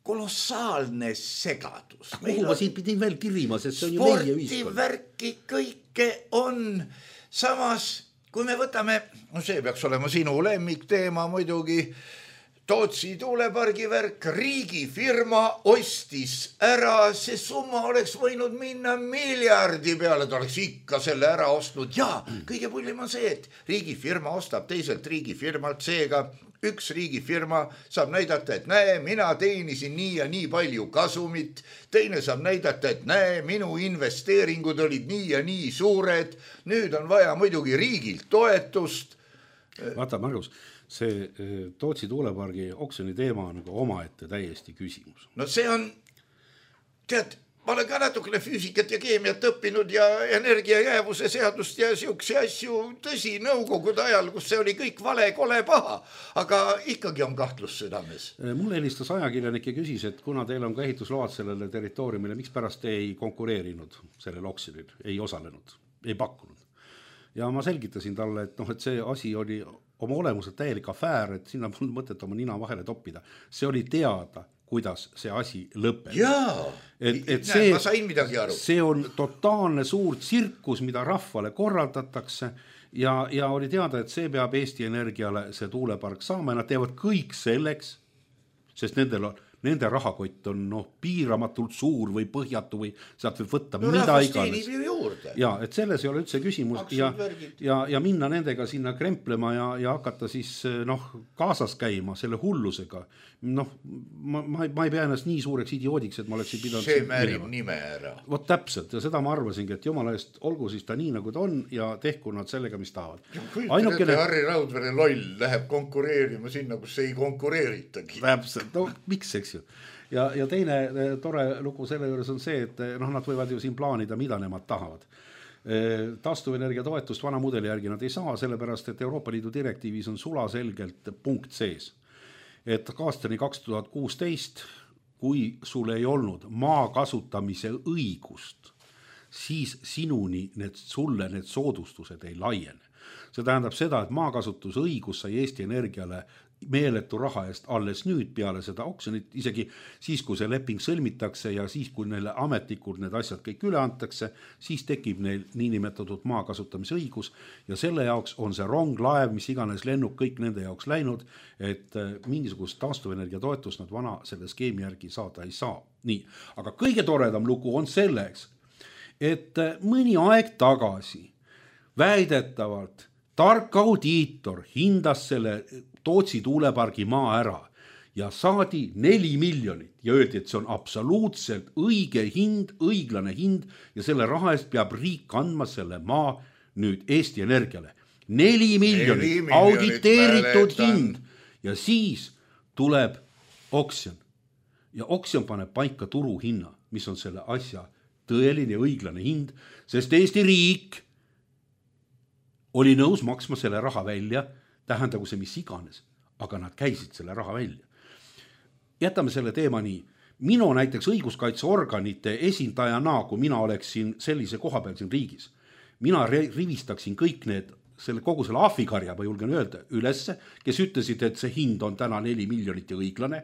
kolossaalne segadus. Kuhu ma siin pidin veel tirima, sest see on ju meie ühiskond. Spordivärki kõike on. Samas, kui me võtame, see peaks olema sinu lemmikteema muidugi, Tootsi tuulepargi värk, riigifirma ostis ära, see summa oleks võinud minna miljardi peale, ta oleks ikka selle ära ostnud. Ja kõige pullim on see, et riigifirma ostab teiselt riigifirmalt, seega üks riigifirma saab näidata, et näe, mina teenisin nii ja nii palju kasumit, teine saab näidata, et näe, minu investeeringud olid nii ja nii suured, nüüd on vaja muidugi riigilt toetust. Vaata, Margus, see Tootsi tuulepargi oksjoni teema on nagu omaette täiesti küsimus. No see on, tead, ma olen ka natukene füüsikat ja keemiat õppinud ja energiajäävuse seadust ja siukse asju, tõsi, nõukogude ajal, kus see oli kõik vale, kole, paha, aga ikkagi on kahtlus südames. Mulle helistas ajakirjanik ja küsis, et kuna teil on ka ehitusload sellele territooriumile, miks pärast ei konkureerinud sellel oksjonil, ei osalenud, ei pakkunud. Ja ma selgitasin talle, et see asi oli oma olemuselt täielik afäär, et sinna polnud mõtet oma nina vahele toppida. See oli teada, kuidas see asi lõpeb. Jaa, ma sain midagi aru. See on totaalne suur tsirkus, mida rahvale korraldatakse ja oli teada, et see peab Eesti Energiale see tuulepark saama ja nad teevad kõik selleks, sest nende rahakott on piiramatult suur või põhjatu või sealt võib võtta mida iganes. Ja, et selles ei ole üldse küsimus ja minna nendega sinna kremplema ja hakata siis kaasas käima selle hullusega. Ma ei pea ennast nii suureks idioodiks, et ma oleksin pidanud see määrib nime ära. Vot täpselt ja seda ma arvasingi, et jumala eest olgu siis ta nii nagu ta on ja tehku nad sellega, mis tahavad. Ainukene Harri Raudvere loll läheb konkureerima sinna, kus ei konkureeritagi. Täpselt, miks eks ju. Ja teine tore lugu selle juures on see, et nad võivad ju siin plaanida, mida nemad tahavad. Taastuvenergia toetust vana mudeli järgi nad ei saa, sellepärast, et Euroopa Liidu direktiivis on sulaselgelt punkt sees. Et aastani 2016, kui sul ei olnud maa kasutamise õigust, siis sinuni sulle need soodustused ei laiene. See tähendab seda, et maakasutusõigus sai Eesti Energiale meeletu raha eest alles nüüd peale seda oksjonit, isegi siis, kui see leping sõlmitakse ja siis, kui neile ametlikult need asjad kõik üle antakse, siis tekib neil niinimetatud maakasutamise õigus ja selle jaoks on see rong, laev, mis iganes lennuk, kõik nende jaoks läinud, et mingisugust taastuvenergia toetust nad vana selle skeemi järgi saada ei saa. Nii, aga kõige toredam lugu on selleks, et mõni aeg tagasi väidetavalt tark audiitor hindas selle Tootsi tuulepargi maa ära ja saadi 4 miljonit ja öeldi, et see on absoluutselt õige hind, õiglane hind ja selle raha eest peab riik andma selle maa nüüd Eesti Energiale. 4 miljonit auditeeritud hind ja siis tuleb oksjon ja oksjon paneb paika turuhinna, mis on selle asja tõeline ja õiglane hind, sest Eesti riik oli nõus maksma selle raha välja, tähendagu see mis iganes, aga nad käisid selle raha välja. Jätame selle teema nii. Minu näiteks õiguskaitseorganite esindajana, kui mina oleksin sellise koha peal siin riigis, mina rivistaksin kõik need, kogu selle ahvikarja, ma julgen öelda, ülesse, kes ütlesid, et see hind on täna 4 miljonit ja õiglane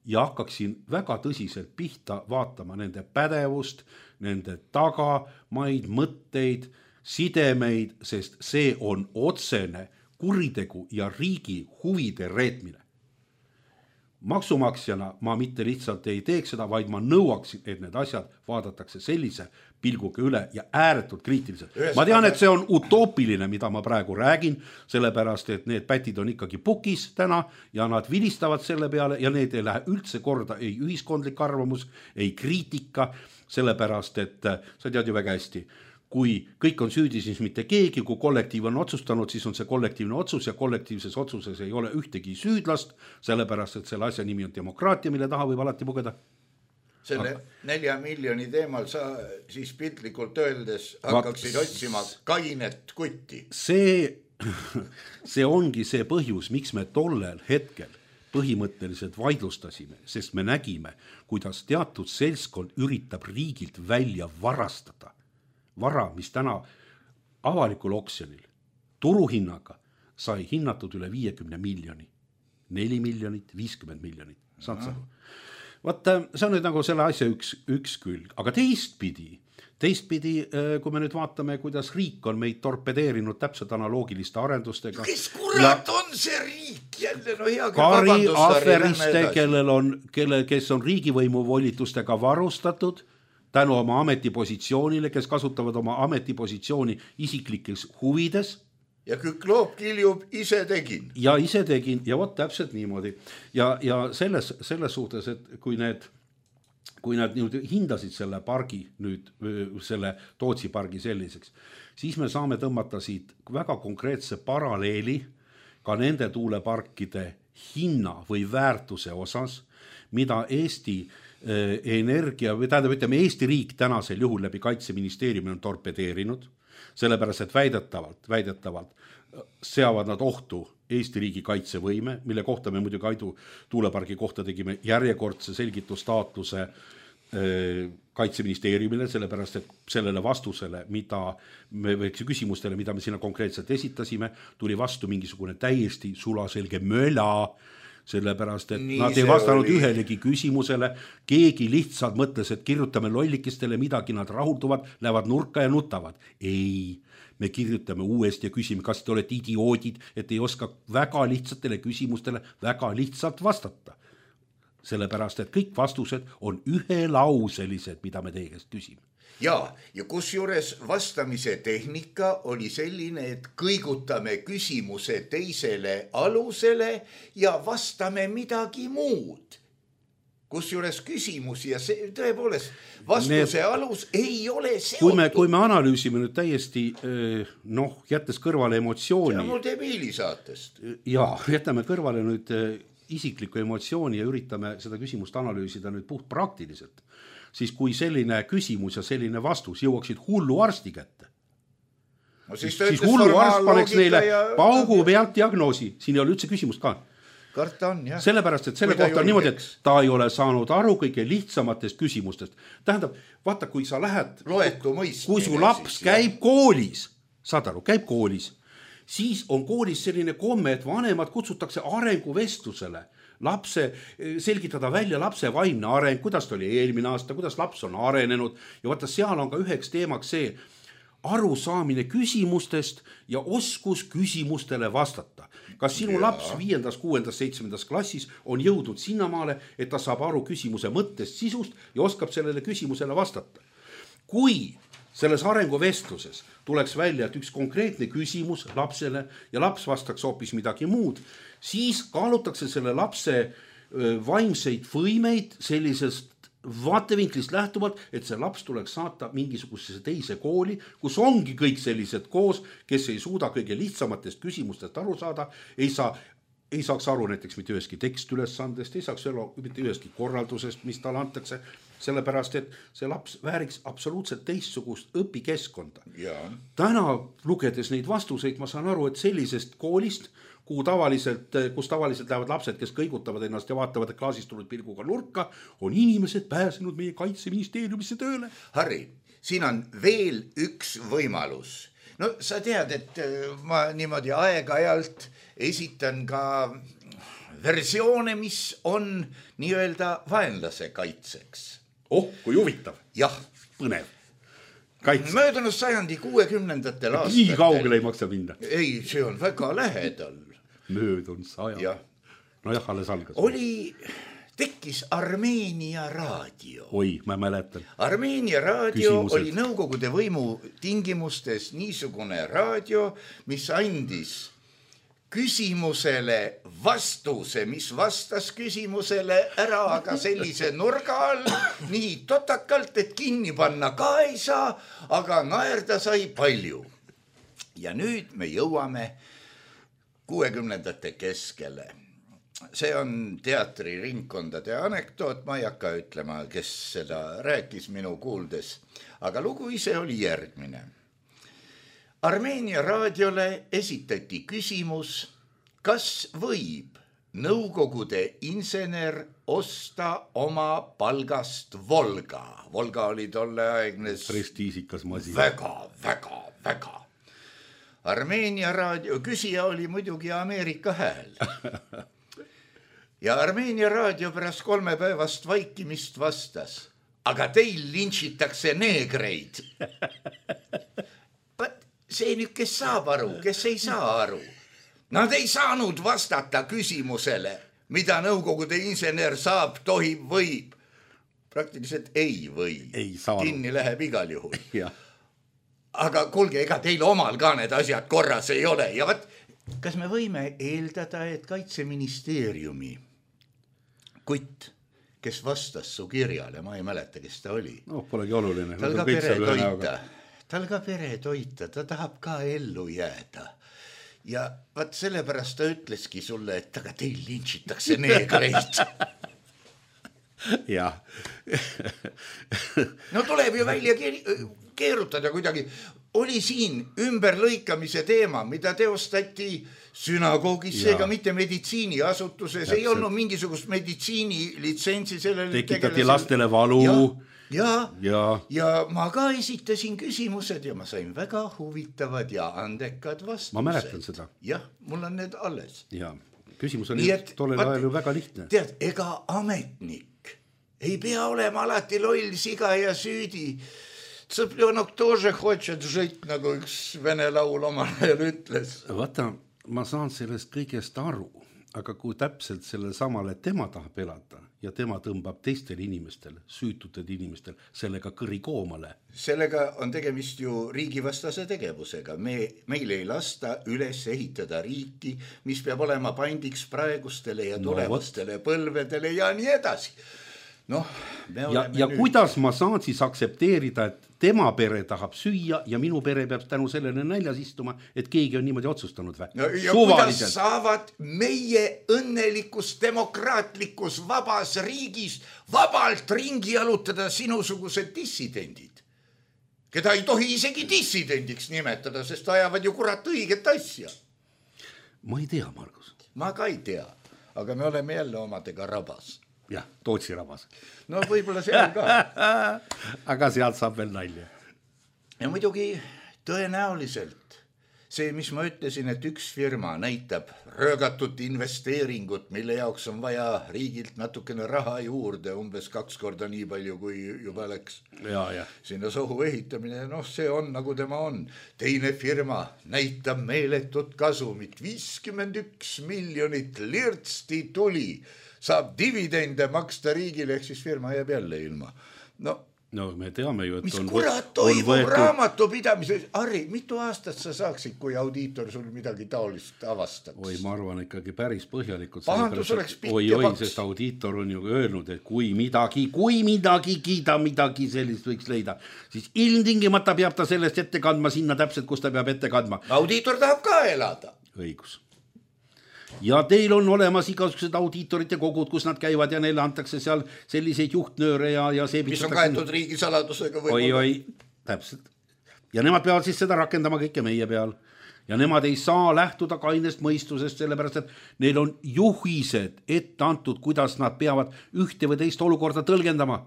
ja hakkaksin väga tõsiselt pihta vaatama nende pädevust, nende tagamaid, mõtteid, sidemeid, sest see on otsene kuritegu ja riigi huvide reetmine. Maksumaksjana ma mitte lihtsalt ei teeks seda, vaid ma nõuaksin, et need asjad vaadatakse sellise pilguga üle ja ääretult kriitiliselt. Ma tean, et see on utoopiline, mida ma praegu räägin, sellepärast, et need pätid on ikkagi pukis täna ja nad vilistavad selle peale ja need ei lähe üldse korda, ei ühiskondlik arvamus, ei kriitika, sellepärast, et sa tead ju väga hästi, kui kõik on süüdi, siis mitte keegi, kui kollektiiv on otsustanud, siis on see kollektiivne otsus ja kollektiivses otsuses ei ole ühtegi süüdlast, sellepärast, et selle asja nimi on demokraatia, mille taha võib alati pugeda. Selle 4 miljoni teemal sa siis piltlikult öeldes hakkaksid otsima kainet kutti. See ongi see põhjus, miks me tollel hetkel põhimõtteliselt vaidlustasime, sest me nägime, kuidas teatud seltskond üritab riigilt välja varastada vara, mis täna avalikul oksjonil turuhinnaga sai hinnatud üle 50 miljoni. 4 miljonit, 50 miljonit. Saad sa? Vaata, see on nüüd nagu selle asja üks külg. Aga teistpidi, kui me nüüd vaatame, kuidas riik on meid torpedeerinud täpselt analoogiliste arendustega. Kes kurat on see riik jälle? No hea, Kari aferiste, kes on riigivõimu volitustega varustatud, tänu oma ametipositsioonile, kes kasutavad oma ametipositsiooni isiklikes huvides. Ja Kükloob kiljub, ise tegin. Ja ise tegin, ja vot täpselt niimoodi. Ja selles suhtes, et kui nad hindasid selle pargi nüüd, selle Tootsi pargi selliseks, siis me saame tõmmata siit väga konkreetse paralleeli ka nende tuuleparkide hinna või väärtuse osas, mida Eesti energia, või tähendab, ütleme, Eesti riik tänasel juhul läbi Kaitseministeeriumi on torpedeerinud, sellepärast, et väidetavalt seavad nad ohtu Eesti riigi kaitsevõime, mille kohta me muidugi Aidu tuulepargi kohta tegime järjekordse selgitustaotluse Kaitseministeeriumile, sellepärast, et sellele vastusele, küsimustele, mida me sinna konkreetselt esitasime, tuli vastu mingisugune täiesti sulaselge möla, sellepärast, et nad ei vastanud ühelegi küsimusele, keegi lihtsalt mõtles, et kirjutame lollikestele midagi, nad rahulduvad, lähevad nurka ja nutavad. Ei, me kirjutame uuesti ja küsime, kas te olete idioodid, et ei oska väga lihtsatele küsimustele väga lihtsalt vastata. sellepärast, et kõik vastused on ühelauselised, mida me teie käest küsime. ja kusjuures vastamise tehnika oli selline, et kõigutame küsimuse teisele alusele ja vastame midagi muud. Kusjuures küsimus ja see tõepoolest vastuse alus ei ole seotud. Kui me analüüsime nüüd täiesti, jättes kõrvale emotsiooni. Ja mul teeb hiilisaatest. Ja jätame kõrvale nüüd isiklikku emotsiooni ja üritame seda küsimust analüüsida nüüd puht praktiliselt. Siis kui selline küsimus ja selline vastus jõuaksid hullu arsti kätte, siis hullu arst paneks neile paugu pealt diagnoosi. Siin ei ole üldse küsimust ka. Karta on, jah. Sellepärast, et selle kohta on niimoodi, et ta ei ole saanud aru kõige lihtsamatest küsimustest. Tähendab, vaata, kui sa lähed, kui su laps käib koolis, saad aru, käib koolis, siis on koolis selline komme, et vanemad kutsutakse arenguvestlusele. Lapse, selgitada välja lapse vaimne areng, kuidas ta oli eelmine aasta, kuidas laps on arenenud ja vaata, seal on ka üheks teemaks see arusaamine küsimustest ja oskus küsimustele vastata. Kas sinu laps 5., 6., 7. klassis on jõudnud sinnamaale, et ta saab aru küsimuse mõttest, sisust ja oskab sellele küsimusele vastata? Kui selles arenguvestluses tuleks välja, et üks konkreetne küsimus lapsele ja laps vastaks hoopis midagi muud, siis kaalutakse selle lapse vaimseid võimeid sellisest vaatevinklist lähtuvalt, et see laps tuleks saata mingisugusesse teise kooli, kus ongi kõik sellised koos, kes ei suuda kõige lihtsamatest küsimustest aru saada, ei saaks aru näiteks mitte üheski tekstülesandest, ei saaks aru mitte üheski korraldusest, mis talle antakse, sellepärast, et see laps vääriks absoluutselt teistsugust õpikeskkonda. Täna lugedes neid vastuseid, ma saan aru, et sellisest koolist, kus tavaliselt lähevad lapsed, kes kõigutavad ennast ja vaatavad klaasist tulnud pilguga nurka, on inimesed pääsenud meie kaitseministeeriumisse tööle. Harri, siin on veel üks võimalus. No sa tead, et ma niimoodi aeg-ajalt esitan ka versioone, mis on nii-öelda vaenlase kaitseks. Kui huvitav. Jah. Põnev. Möödunud sajandi 60. aastatel. Nii kaugele ei maksa minna. Ei, see on väga lähedal. Möödunud sajand. Nojah, alles algas. Tekkis Armeenia raadio. Oi, ma mäletan. Armeenia raadio oli Nõukogude võimu tingimustes niisugune raadio, mis andis küsimusele vastuse, mis vastas küsimusele ära, aga sellise nurga all nii totakalt, et kinni panna ka ei saa, aga naerda sai palju. Ja nüüd me jõuame 60. keskele. See on teatriringkondade anekdoot, ma ei hakka ütlema, kes seda rääkis minu kuuldes, aga lugu ise oli järgmine. Armeenia raadiole esitati küsimus, kas võib Nõukogude insener osta oma palgast Volga. Volga oli tolleaegne prestiisikas masin. Väga. Armeenia raadio küsija oli muidugi Ameerika hääl. Ja Armeenia raadio pärast 3 päevast vaikimist vastas, aga teil lintšitakse neegreid. See nüüd, kes saab aru, kes ei saa aru. Nad ei saanud vastata küsimusele, mida Nõukogude insener saab, tohib, võib. Praktiliselt ei või. Kinni läheb igal juhul. Aga kuulge, ega teil omal ka need asjad korras ei ole. Ja kas me võime eeldada, et Kaitseministeeriumi kutt, kes vastas su kirjale, ma ei mäleta, kes ta oli. Polegi oluline. Tal ka pere toita, ta tahab ka ellu jääda. Ja sellepärast ta ütleski sulle, et aga teil lintšitakse neegreid. Jah. No tuleb ju välja keerutada kuidagi. Oli siin ümberlõikamise teema, mida teostati sünagoogis, seega mitte meditsiiniasutuses. Ei olnud mingisugust meditsiinilitsentsi sellele. Tekitati lastele valu. Ja ma ka esitasin küsimused ja ma sain väga huvitavad ja andekad vastused. Ma mäletan seda. Jah, mul on need alles. Ja, küsimus oli tollel ajal ju väga lihtne. Tead, ega ametnik ei pea olema alati loll, siga ja süüdi. Tsõpljönok тоже хочет жить, nagu üks vene laul omal ajal ütles. Vaata, ma saan sellest kõigest aru, aga kui täpselt selle samale tema tahab elada ja tema tõmbab teistele inimestele, süütutud inimestele sellega kõri koomale. Sellega on tegemist ju riigivastase tegevusega. Meil ei lasta üles ehitada riiki, mis peab olema pandiks praegustele ja tulevastele põlvedele ja nii edasi. Ja kuidas ma saan siis aksepteerida, et tema pere tahab süüa ja minu pere peab tänu sellele näljas istuma, et keegi on niimoodi otsustanud või? Ja kuidas saavad meie õnnelikus demokraatlikus vabas riigis vabalt ringi jalutada sinusugused dissidendid, keda ei tohi isegi dissidendiks nimetada, sest ajavad ju kurat õiget asja. Ma ei tea, Margus. Ma ka ei tea, aga me oleme jälle omadega rabas. Jah, Tootsi rabas. No võib-olla seal ka. Aga sealt saab veel nalja. Ja muidugi tõenäoliselt see, mis ma ütlesin, et üks firma näitab röögatut investeeringut, mille jaoks on vaja riigilt natukene raha juurde, umbes 2 korda nii palju, kui juba läks sinna sohu ehitamine. See on nagu tema on. Teine firma näitab meeletut kasumit, 51 miljonit lirtsti tuli, saab dividende maksta riigile, ehk siis firma jääb jälle ilma. No me teame ju, et mis kurat toimub raamatupidamise. Harri, mitu aastat sa saaksid, kui audiitor sul midagi taolist avastaks? Oi, ma arvan ikkagi päris põhjalikult. Pahandus oleks pikk ja paks. Sest audiitor on ju öelnud, et kui midagi sellist võiks leida, siis ilmtingimata peab ta sellest ette kandma sinna täpselt, kus ta peab ette kandma. Audiitor tahab ka elada. Õigus. Ja teil on olemas igasugused audiitorite kogud, kus nad käivad ja neile antakse seal selliseid juhtnööre ja see... Mis on kaetud riigisaladusega või... Oi, täpselt. Ja nemad peavad siis seda rakendama kõike meie peal. Ja nemad ei saa lähtuda kainest mõistusest, sellepärast, et neil on juhised ette antud, kuidas nad peavad ühte või teist olukorda tõlgendama.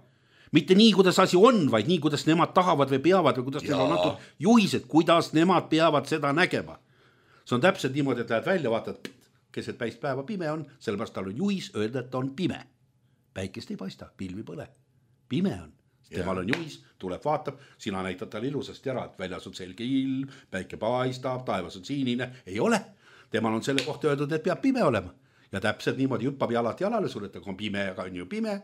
Mitte nii, kuidas asi on, vaid nii, kuidas nemad tahavad või peavad või kuidas neil on antud juhised, kuidas nemad peavad seda nägema. See on täpselt niimoodi, et lähed välja, vaatad... keset päist päeva pime on, sellepärast tal on juhis öelda, et on pime. Päikest ei paista, pilvi põle. Pime on. Temal on juhis, tuleb vaatab, sina näitad tal ilusasti ära, et väljas on selge ilm, päike paistab, taevas on siinine. Ei ole. Temal on selle kohta öeldud, et peab pime olema. Ja täpselt niimoodi hüppab jalalt jalale sulle, et on pime, aga on ju pime.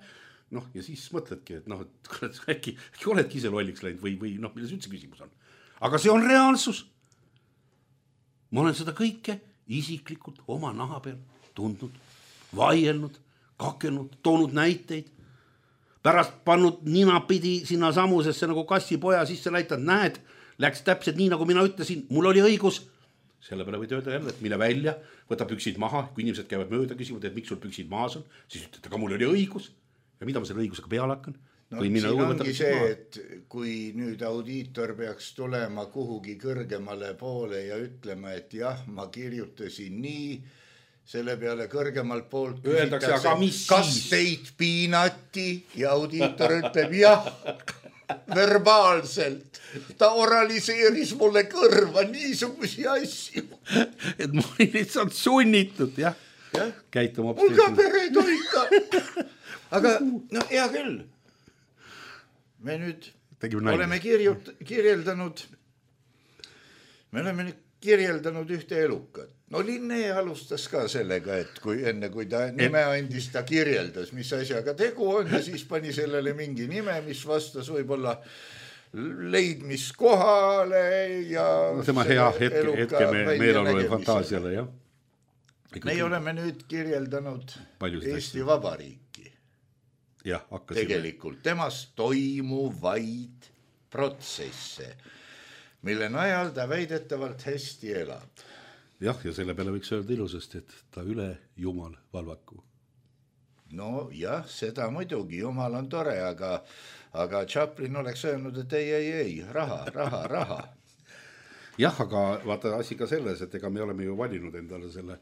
Ja siis mõtledki, et äkki oledki ise lolliks läinud või milles üldse küsimus on. Aga see on reaalsus. Ma olen seda kõike isiklikult oma naha peal tundnud, vaielnud, kakelnud, toonud näiteid, pärast pannud ninapidi sinna samusesse nagu kassipoja sisse näitad, näed, läks täpselt nii, nagu mina ütlesin, mul oli õigus. Selle peale võid öelda jälle, et mine välja, võta püksid maha, kui inimesed käivad mööda küsivad, et miks sul püksid maas on, siis ütled, aga mul oli õigus. Ja mida ma selle õigusega peale hakkan? Siin ongi see, et kui nüüd audiitor peaks tulema kuhugi kõrgemale poole ja ütlema, et jah, ma kirjutasin nii, selle peale kõrgemalt poolt küsitakse, kas teid piinati ja audiitor ütleb jah, verbaalselt. Ta oraliseeris mulle kõrva niisugusi asju. Et ma olin lihtsalt sunnitud, jah. Käituma mul ka pere toita. Aga hea küll. Me nüüd oleme kirjeldanud ühte elukat. Linne alustas ka sellega, et enne kui ta nime andis, ta kirjeldas, mis asjaga tegu on ja siis pani sellele mingi nime, mis vastas võib-olla leidmiskohale ja... Tema hea hetke meelolu ja fantaasiale, jah. Meie oleme nüüd kirjeldanud Eesti Vabariiki. Jah, tegelikult temast toimuvaid protsesse, mille najal ta väidetavalt hästi elab. Jah, ja selle peale võiks öelda ilusasti, et ta üle jumal valvaku. No jah, seda muidugi, jumal on tore, aga Chaplin oleks öelnud, et ei, raha. Jah, aga vaata asi ka selles, et ega me oleme ju valinud endale selle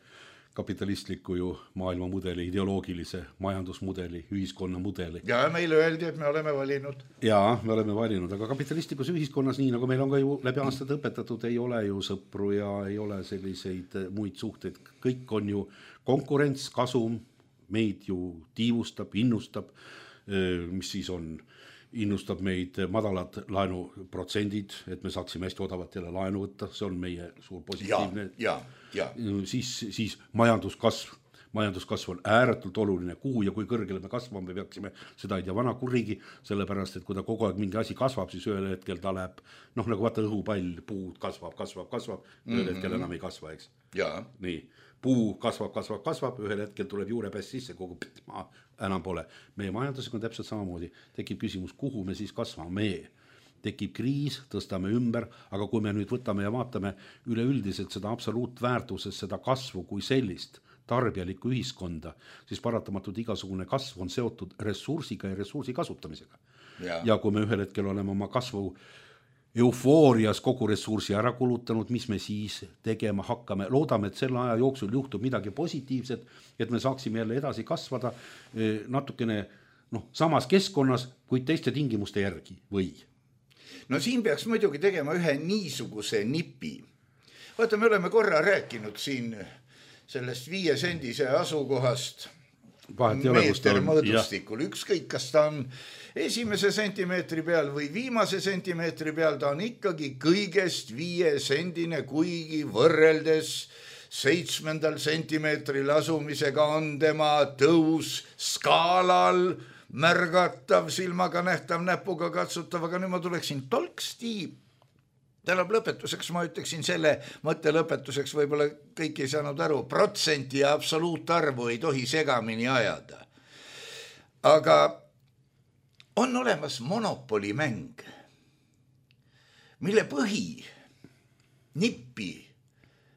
kapitalistliku ju maailmamudeli, ideoloogilise majandusmudeli, ühiskonnamudeli. Ja meile öeldi, et me oleme valinud. Jaa, me oleme valinud, aga kapitalistlikus ühiskonnas, nii nagu meil on ka ju läbi aastad õpetatud, ei ole ju sõpru ja ei ole selliseid muid suhteid. Kõik on ju konkurents, kasum, meid ju tiivustab, innustab, mis siis on, innustab meid madalad laenuprotsendid, et me saaksime hästi odavalt jälle laenu võtta, see on meie suur positiivne. Ja. Siis majanduskasv, majanduskasv on ääretult oluline, kuhu ja kui kõrgele me kasvame, me peaksime seda ei tea vana kurigi, sellepärast, et kui ta kogu aeg mingi asi kasvab, siis ühel hetkel ta läheb, nagu vaata õhupall, puud kasvab, ühel hetkel enam ei kasva, eks? Jaa. Nii, puu kasvab, ühel hetkel tuleb juurepäss sisse, kogu enam pole. Meie majandusega on täpselt samamoodi, tekib küsimus, kuhu me siis kasvame. Tekib kriis, tõstame ümber, aga kui me nüüd võtame ja vaatame üleüldiselt seda absoluutväärtuses, seda kasvu kui sellist tarbijalikku ühiskonda, siis paratamatult igasugune kasv on seotud ressursiga ja ressursi kasutamisega. Ja kui me ühel hetkel oleme oma kasvu eufoorias kogu ressursi ära kulutanud, mis me siis tegema hakkame, loodame, et selle aja jooksul juhtub midagi positiivset, et me saaksime jälle edasi kasvada natukene samas keskkonnas, kuid teiste tingimuste järgi või? No siin peaks muidugi tegema ühe niisuguse nipi. Vaata, me oleme korra rääkinud siin sellest 5 sendise asukohast meeter mõõdustikul. Ükskõik, kas ta on esimese sentimeetri peal või viimase sentimeetri peal, ta on ikkagi kõigest 5 sendine, kuigi võrreldes 7. sentimeetril asumisega on tema tõus skaalal märgatav, silmaga nähtav, näpuga katsutav, aga nüüd ma tuleksin tolksti. Tähendab lõpetuseks, ma ütleksin selle mõtte lõpetuseks, võib-olla kõik ei saanud aru, protsenti ja absoluutarvu ei tohi segamini ajada. Aga on olemas monopolimäng, mille põhi, nippi,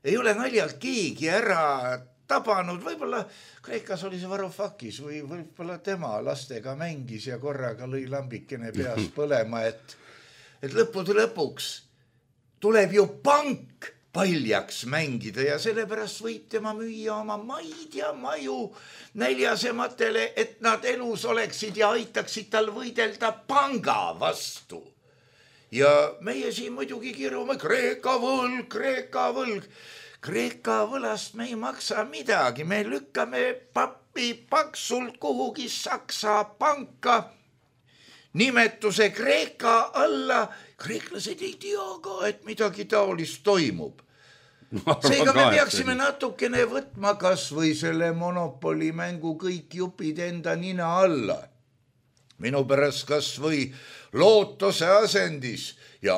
ei ole naljalt keegi ära tabanud, võib-olla Kreekas oli see Varoufakis või võib-olla tema lastega mängis ja korraga lõi lambikene peas põlema, et lõppude lõpuks tuleb ju pank paljaks mängida ja sellepärast võib tema müüa oma maid ja maju näljasematele, et nad elus oleksid ja aitaksid tal võidelda panga vastu. Ja meie siin muidugi kirume Kreeka võlg. Kreeka võlast me ei maksa midagi, me lükkame pappi paksult kuhugi Saksa panka nimetuse Kreeka alla. Kreeklased ei tea ka, et midagi taolist toimub. Seega me peaksime natukene võtma kas või selle monopolimängu kõik jupid enda nina alla. Minu pärast kas või lootuse asendis ja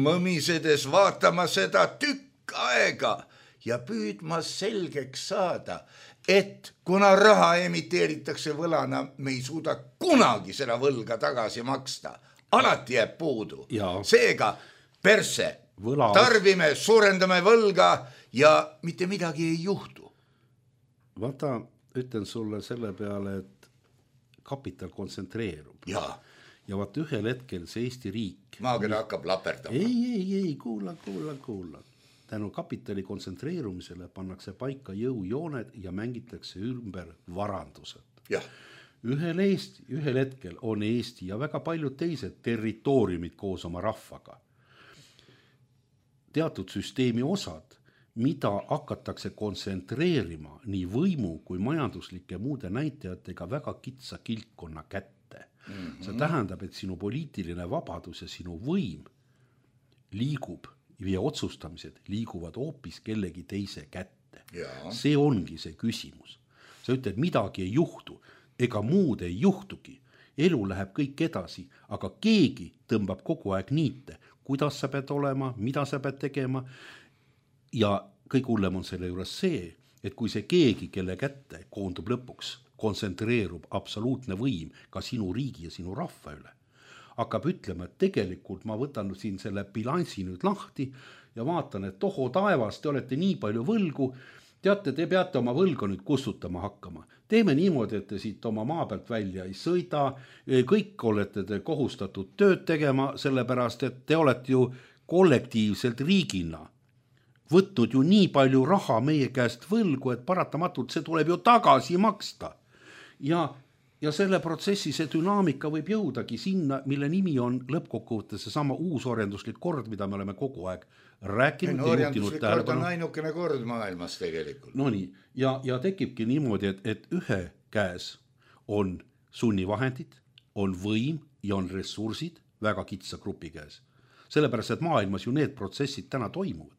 mõmisedes vaatama seda tükk aega ja püüdma selgeks saada, et kuna raha emiteeritakse võlana, me ei suuda kunagi seda võlga tagasi maksta. Alati jääb puudu. Seega perse, tarbime, suurendame võlga ja mitte midagi ei juhtu. Vaata, ütlen sulle selle peale, et kapital kontsentreerub. Ja vaata ühel hetkel see Eesti riik... Maakera hakkab laperdama. Ei, kuula. Tänu kapitali kontsentreerumisele pannakse paika jõujooned ja mängitakse ümber varandused. Ühel hetkel on Eesti ja väga paljud teised territooriumid koos oma rahvaga. Teatud süsteemi osad, mida hakatakse kontsentreerima nii võimu kui majanduslike muude näitajatega väga kitsa kiltkonna kätte. See tähendab, et sinu poliitiline vabadus ja sinu võim liigub ja otsustamised liiguvad hoopis kellegi teise kätte. See ongi see küsimus. Sa ütled, midagi ei juhtu, ega muud ei juhtugi. Elu läheb kõik edasi, aga keegi tõmbab kogu aeg niite, kuidas sa pead olema, mida sa pead tegema. Ja kõik hullem on selle juures see, et kui see keegi, kelle kätte koondub lõpuks, kontsentreerub absoluutne võim ka sinu riigi ja sinu rahva üle, hakkab ütlema, et tegelikult ma võtan siin selle bilansi nüüd lahti ja vaatan, et toho taevas, te olete nii palju võlgu, teate, te peate oma võlga nüüd kustutama hakkama. Teeme niimoodi, et te siit oma maa pealt välja ei sõida, kõik olete te kohustatud tööd tegema, sellepärast, et te olete ju kollektiivselt riigina võtnud ju nii palju raha meie käest võlgu, et paratamatult see tuleb ju tagasi maksta. Ja selle protsessi see dünaamika võib jõudagi sinna, mille nimi on lõppkokkuvõttes seesama uusorienduslik kord, mida me oleme kogu aeg rääkinud. Orienduslik kord on ainukene kord maailmas tegelikult. No nii, ja tekibki niimoodi, et ühe käes on sunnivahendid, on võim ja on ressursid väga kitsa grupi käes. Sellepärast, et maailmas ju need protsessid täna toimuvad.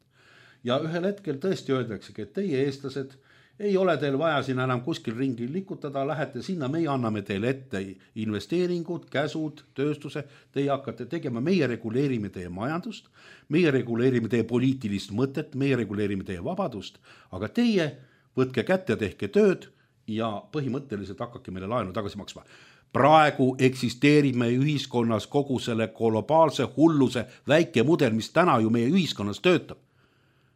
Ja ühel hetkel tõesti öeldaksegi, et teie eestlased ei ole teil vaja siin enam kuskil ringi likutada, lähete sinna, meie anname teile ette investeeringud, käsud, tööstuse, teie hakkate tegema, meie reguleerime teie majandust, meie reguleerime teie poliitilist mõtet, meie reguleerime teie vabadust, aga teie võtke kätte, tehke tööd ja põhimõtteliselt hakkake meile laenu tagasi maksma. Praegu eksisteerib meie ühiskonnas kogu selle globaalse hulluse väike mudel, mis täna ju meie ühiskonnas töötab.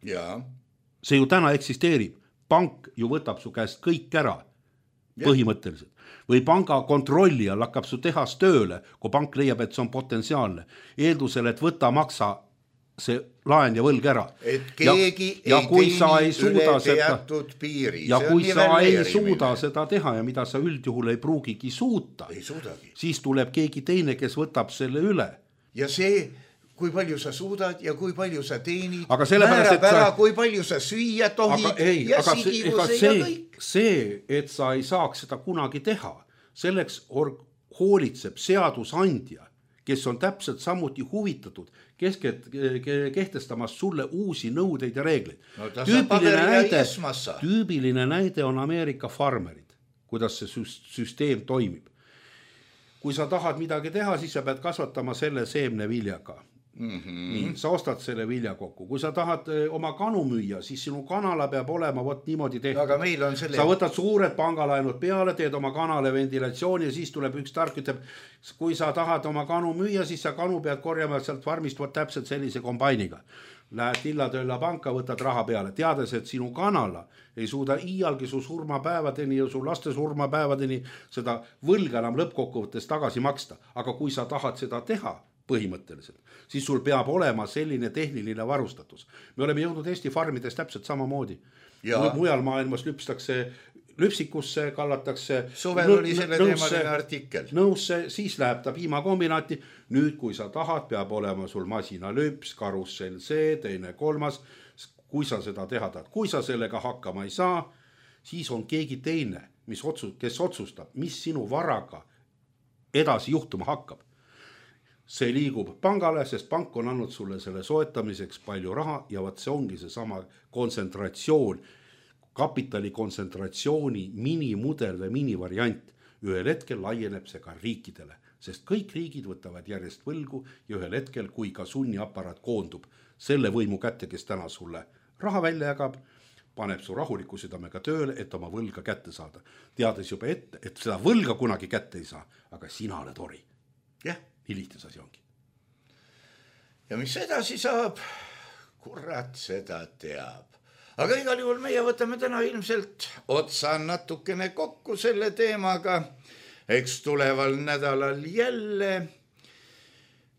Ja. See ju täna eksisteerib. Pank ju võtab su käest kõik ära, põhimõtteliselt. Või panga kontrollijal hakkab su tehas tööle, kui pank leiab, et see on potentsiaalne. Eeldusel, et võta maksa see laen ja võlg ära. Et keegi ei teeni üle teatud piiri. Ja kui sa ei suuda seda teha ja mida sa üldjuhul ei pruugigi suuta, siis tuleb keegi teine, kes võtab selle üle. Ja see... kui palju sa suudad ja kui palju sa teenid, määrab ära, kui palju sa süüa tohid ja sigivuse ja kõik. See, et sa ei saaks seda kunagi teha, selleks hoolitseb seadusandja, kes on täpselt samuti huvitatud kehtestamas sulle uusi nõudeid ja reegleid. No, tüübiline näide on Ameerika farmerid, kuidas see süsteem toimib. Kui sa tahad midagi teha, siis sa pead kasvatama selle seemneviljaga. Nii, sa ostad selle vilja kokku. Kui sa tahad oma kanu müüa, siis sinu kanala peab olema niimoodi tehtud. Aga meil on selle... Sa võtad suured pangalaenud peale, teed oma kanale ventilatsiooni ja siis tuleb üks tark, ütleb, kui sa tahad oma kanu müüa, siis sa kanu pead korjama sealt farmist täpselt sellise kombainiga. Lähed Tillatöölla panka, võtad raha peale, teades, et sinu kanala ei suuda iialgi su surmapäevadeni ja su laste surmapäevadeni seda võlga enam lõppkokkuvõttes tagasi maksta. Aga kui sa tahad seda teha, põhimõtteliselt, siis sul peab olema selline tehniline varustatus. Me oleme jõudnud Eesti farmides täpselt samamoodi. Mujal maailmas lüpsikusse, kallatakse suvel oli selle teemaline artikkel. Nõusse, siis läheb ta piimakombinaati. Nüüd, kui sa tahad, peab olema sul masinalüps, karussell see, teine kolmas. Kui sa seda teha tahad, kui sa sellega hakkama ei saa, siis on keegi teine, kes otsustab, mis sinu varaga edasi juhtuma hakkab. See liigub pangale, sest pank on andnud sulle selle soetamiseks palju raha ja see ongi see sama kontsentratsioon, kapitali kontsentratsiooni minimudel või minivariant. Ühel hetkel laieneb see ka riikidele, sest kõik riigid võtavad järjest võlgu ja ühel hetkel, kui ka sunniaparaat koondub selle võimu kätte, kes täna sulle raha välja jagab, paneb su rahuliku südamega tööle, et oma võlga kätte saada. Teades juba ette, et seda võlga kunagi kätte ei saa, aga sina oled ori. Jah. Nii lihtne asi ongi. Ja mis edasi saab, kurat seda teab. Aga igal juhul meie võtame täna ilmselt otsa natukene kokku selle teemaga. Eks tuleval nädalal jälle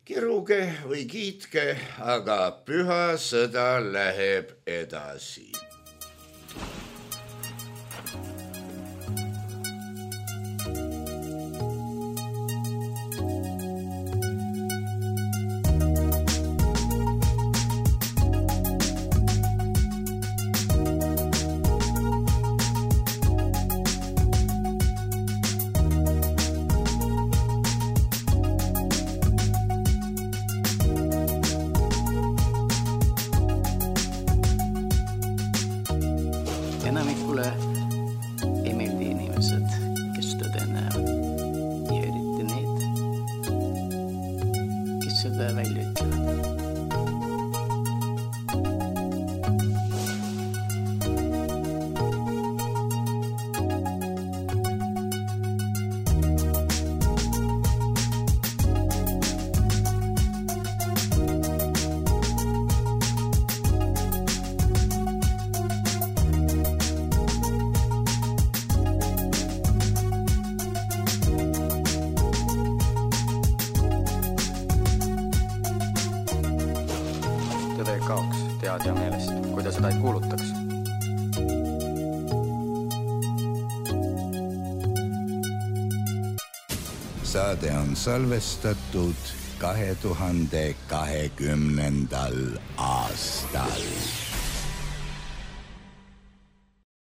kiruge või kiitke, aga püha sõda läheb edasi. Enamikule ei meeldi inimesed, kes tõde näevad ja eriti need, kes seda välja ütlevad. Tõde kaoks teadja meelest, kui ta seda ei kuulutaks. Saade on salvestatud 2020. aastal.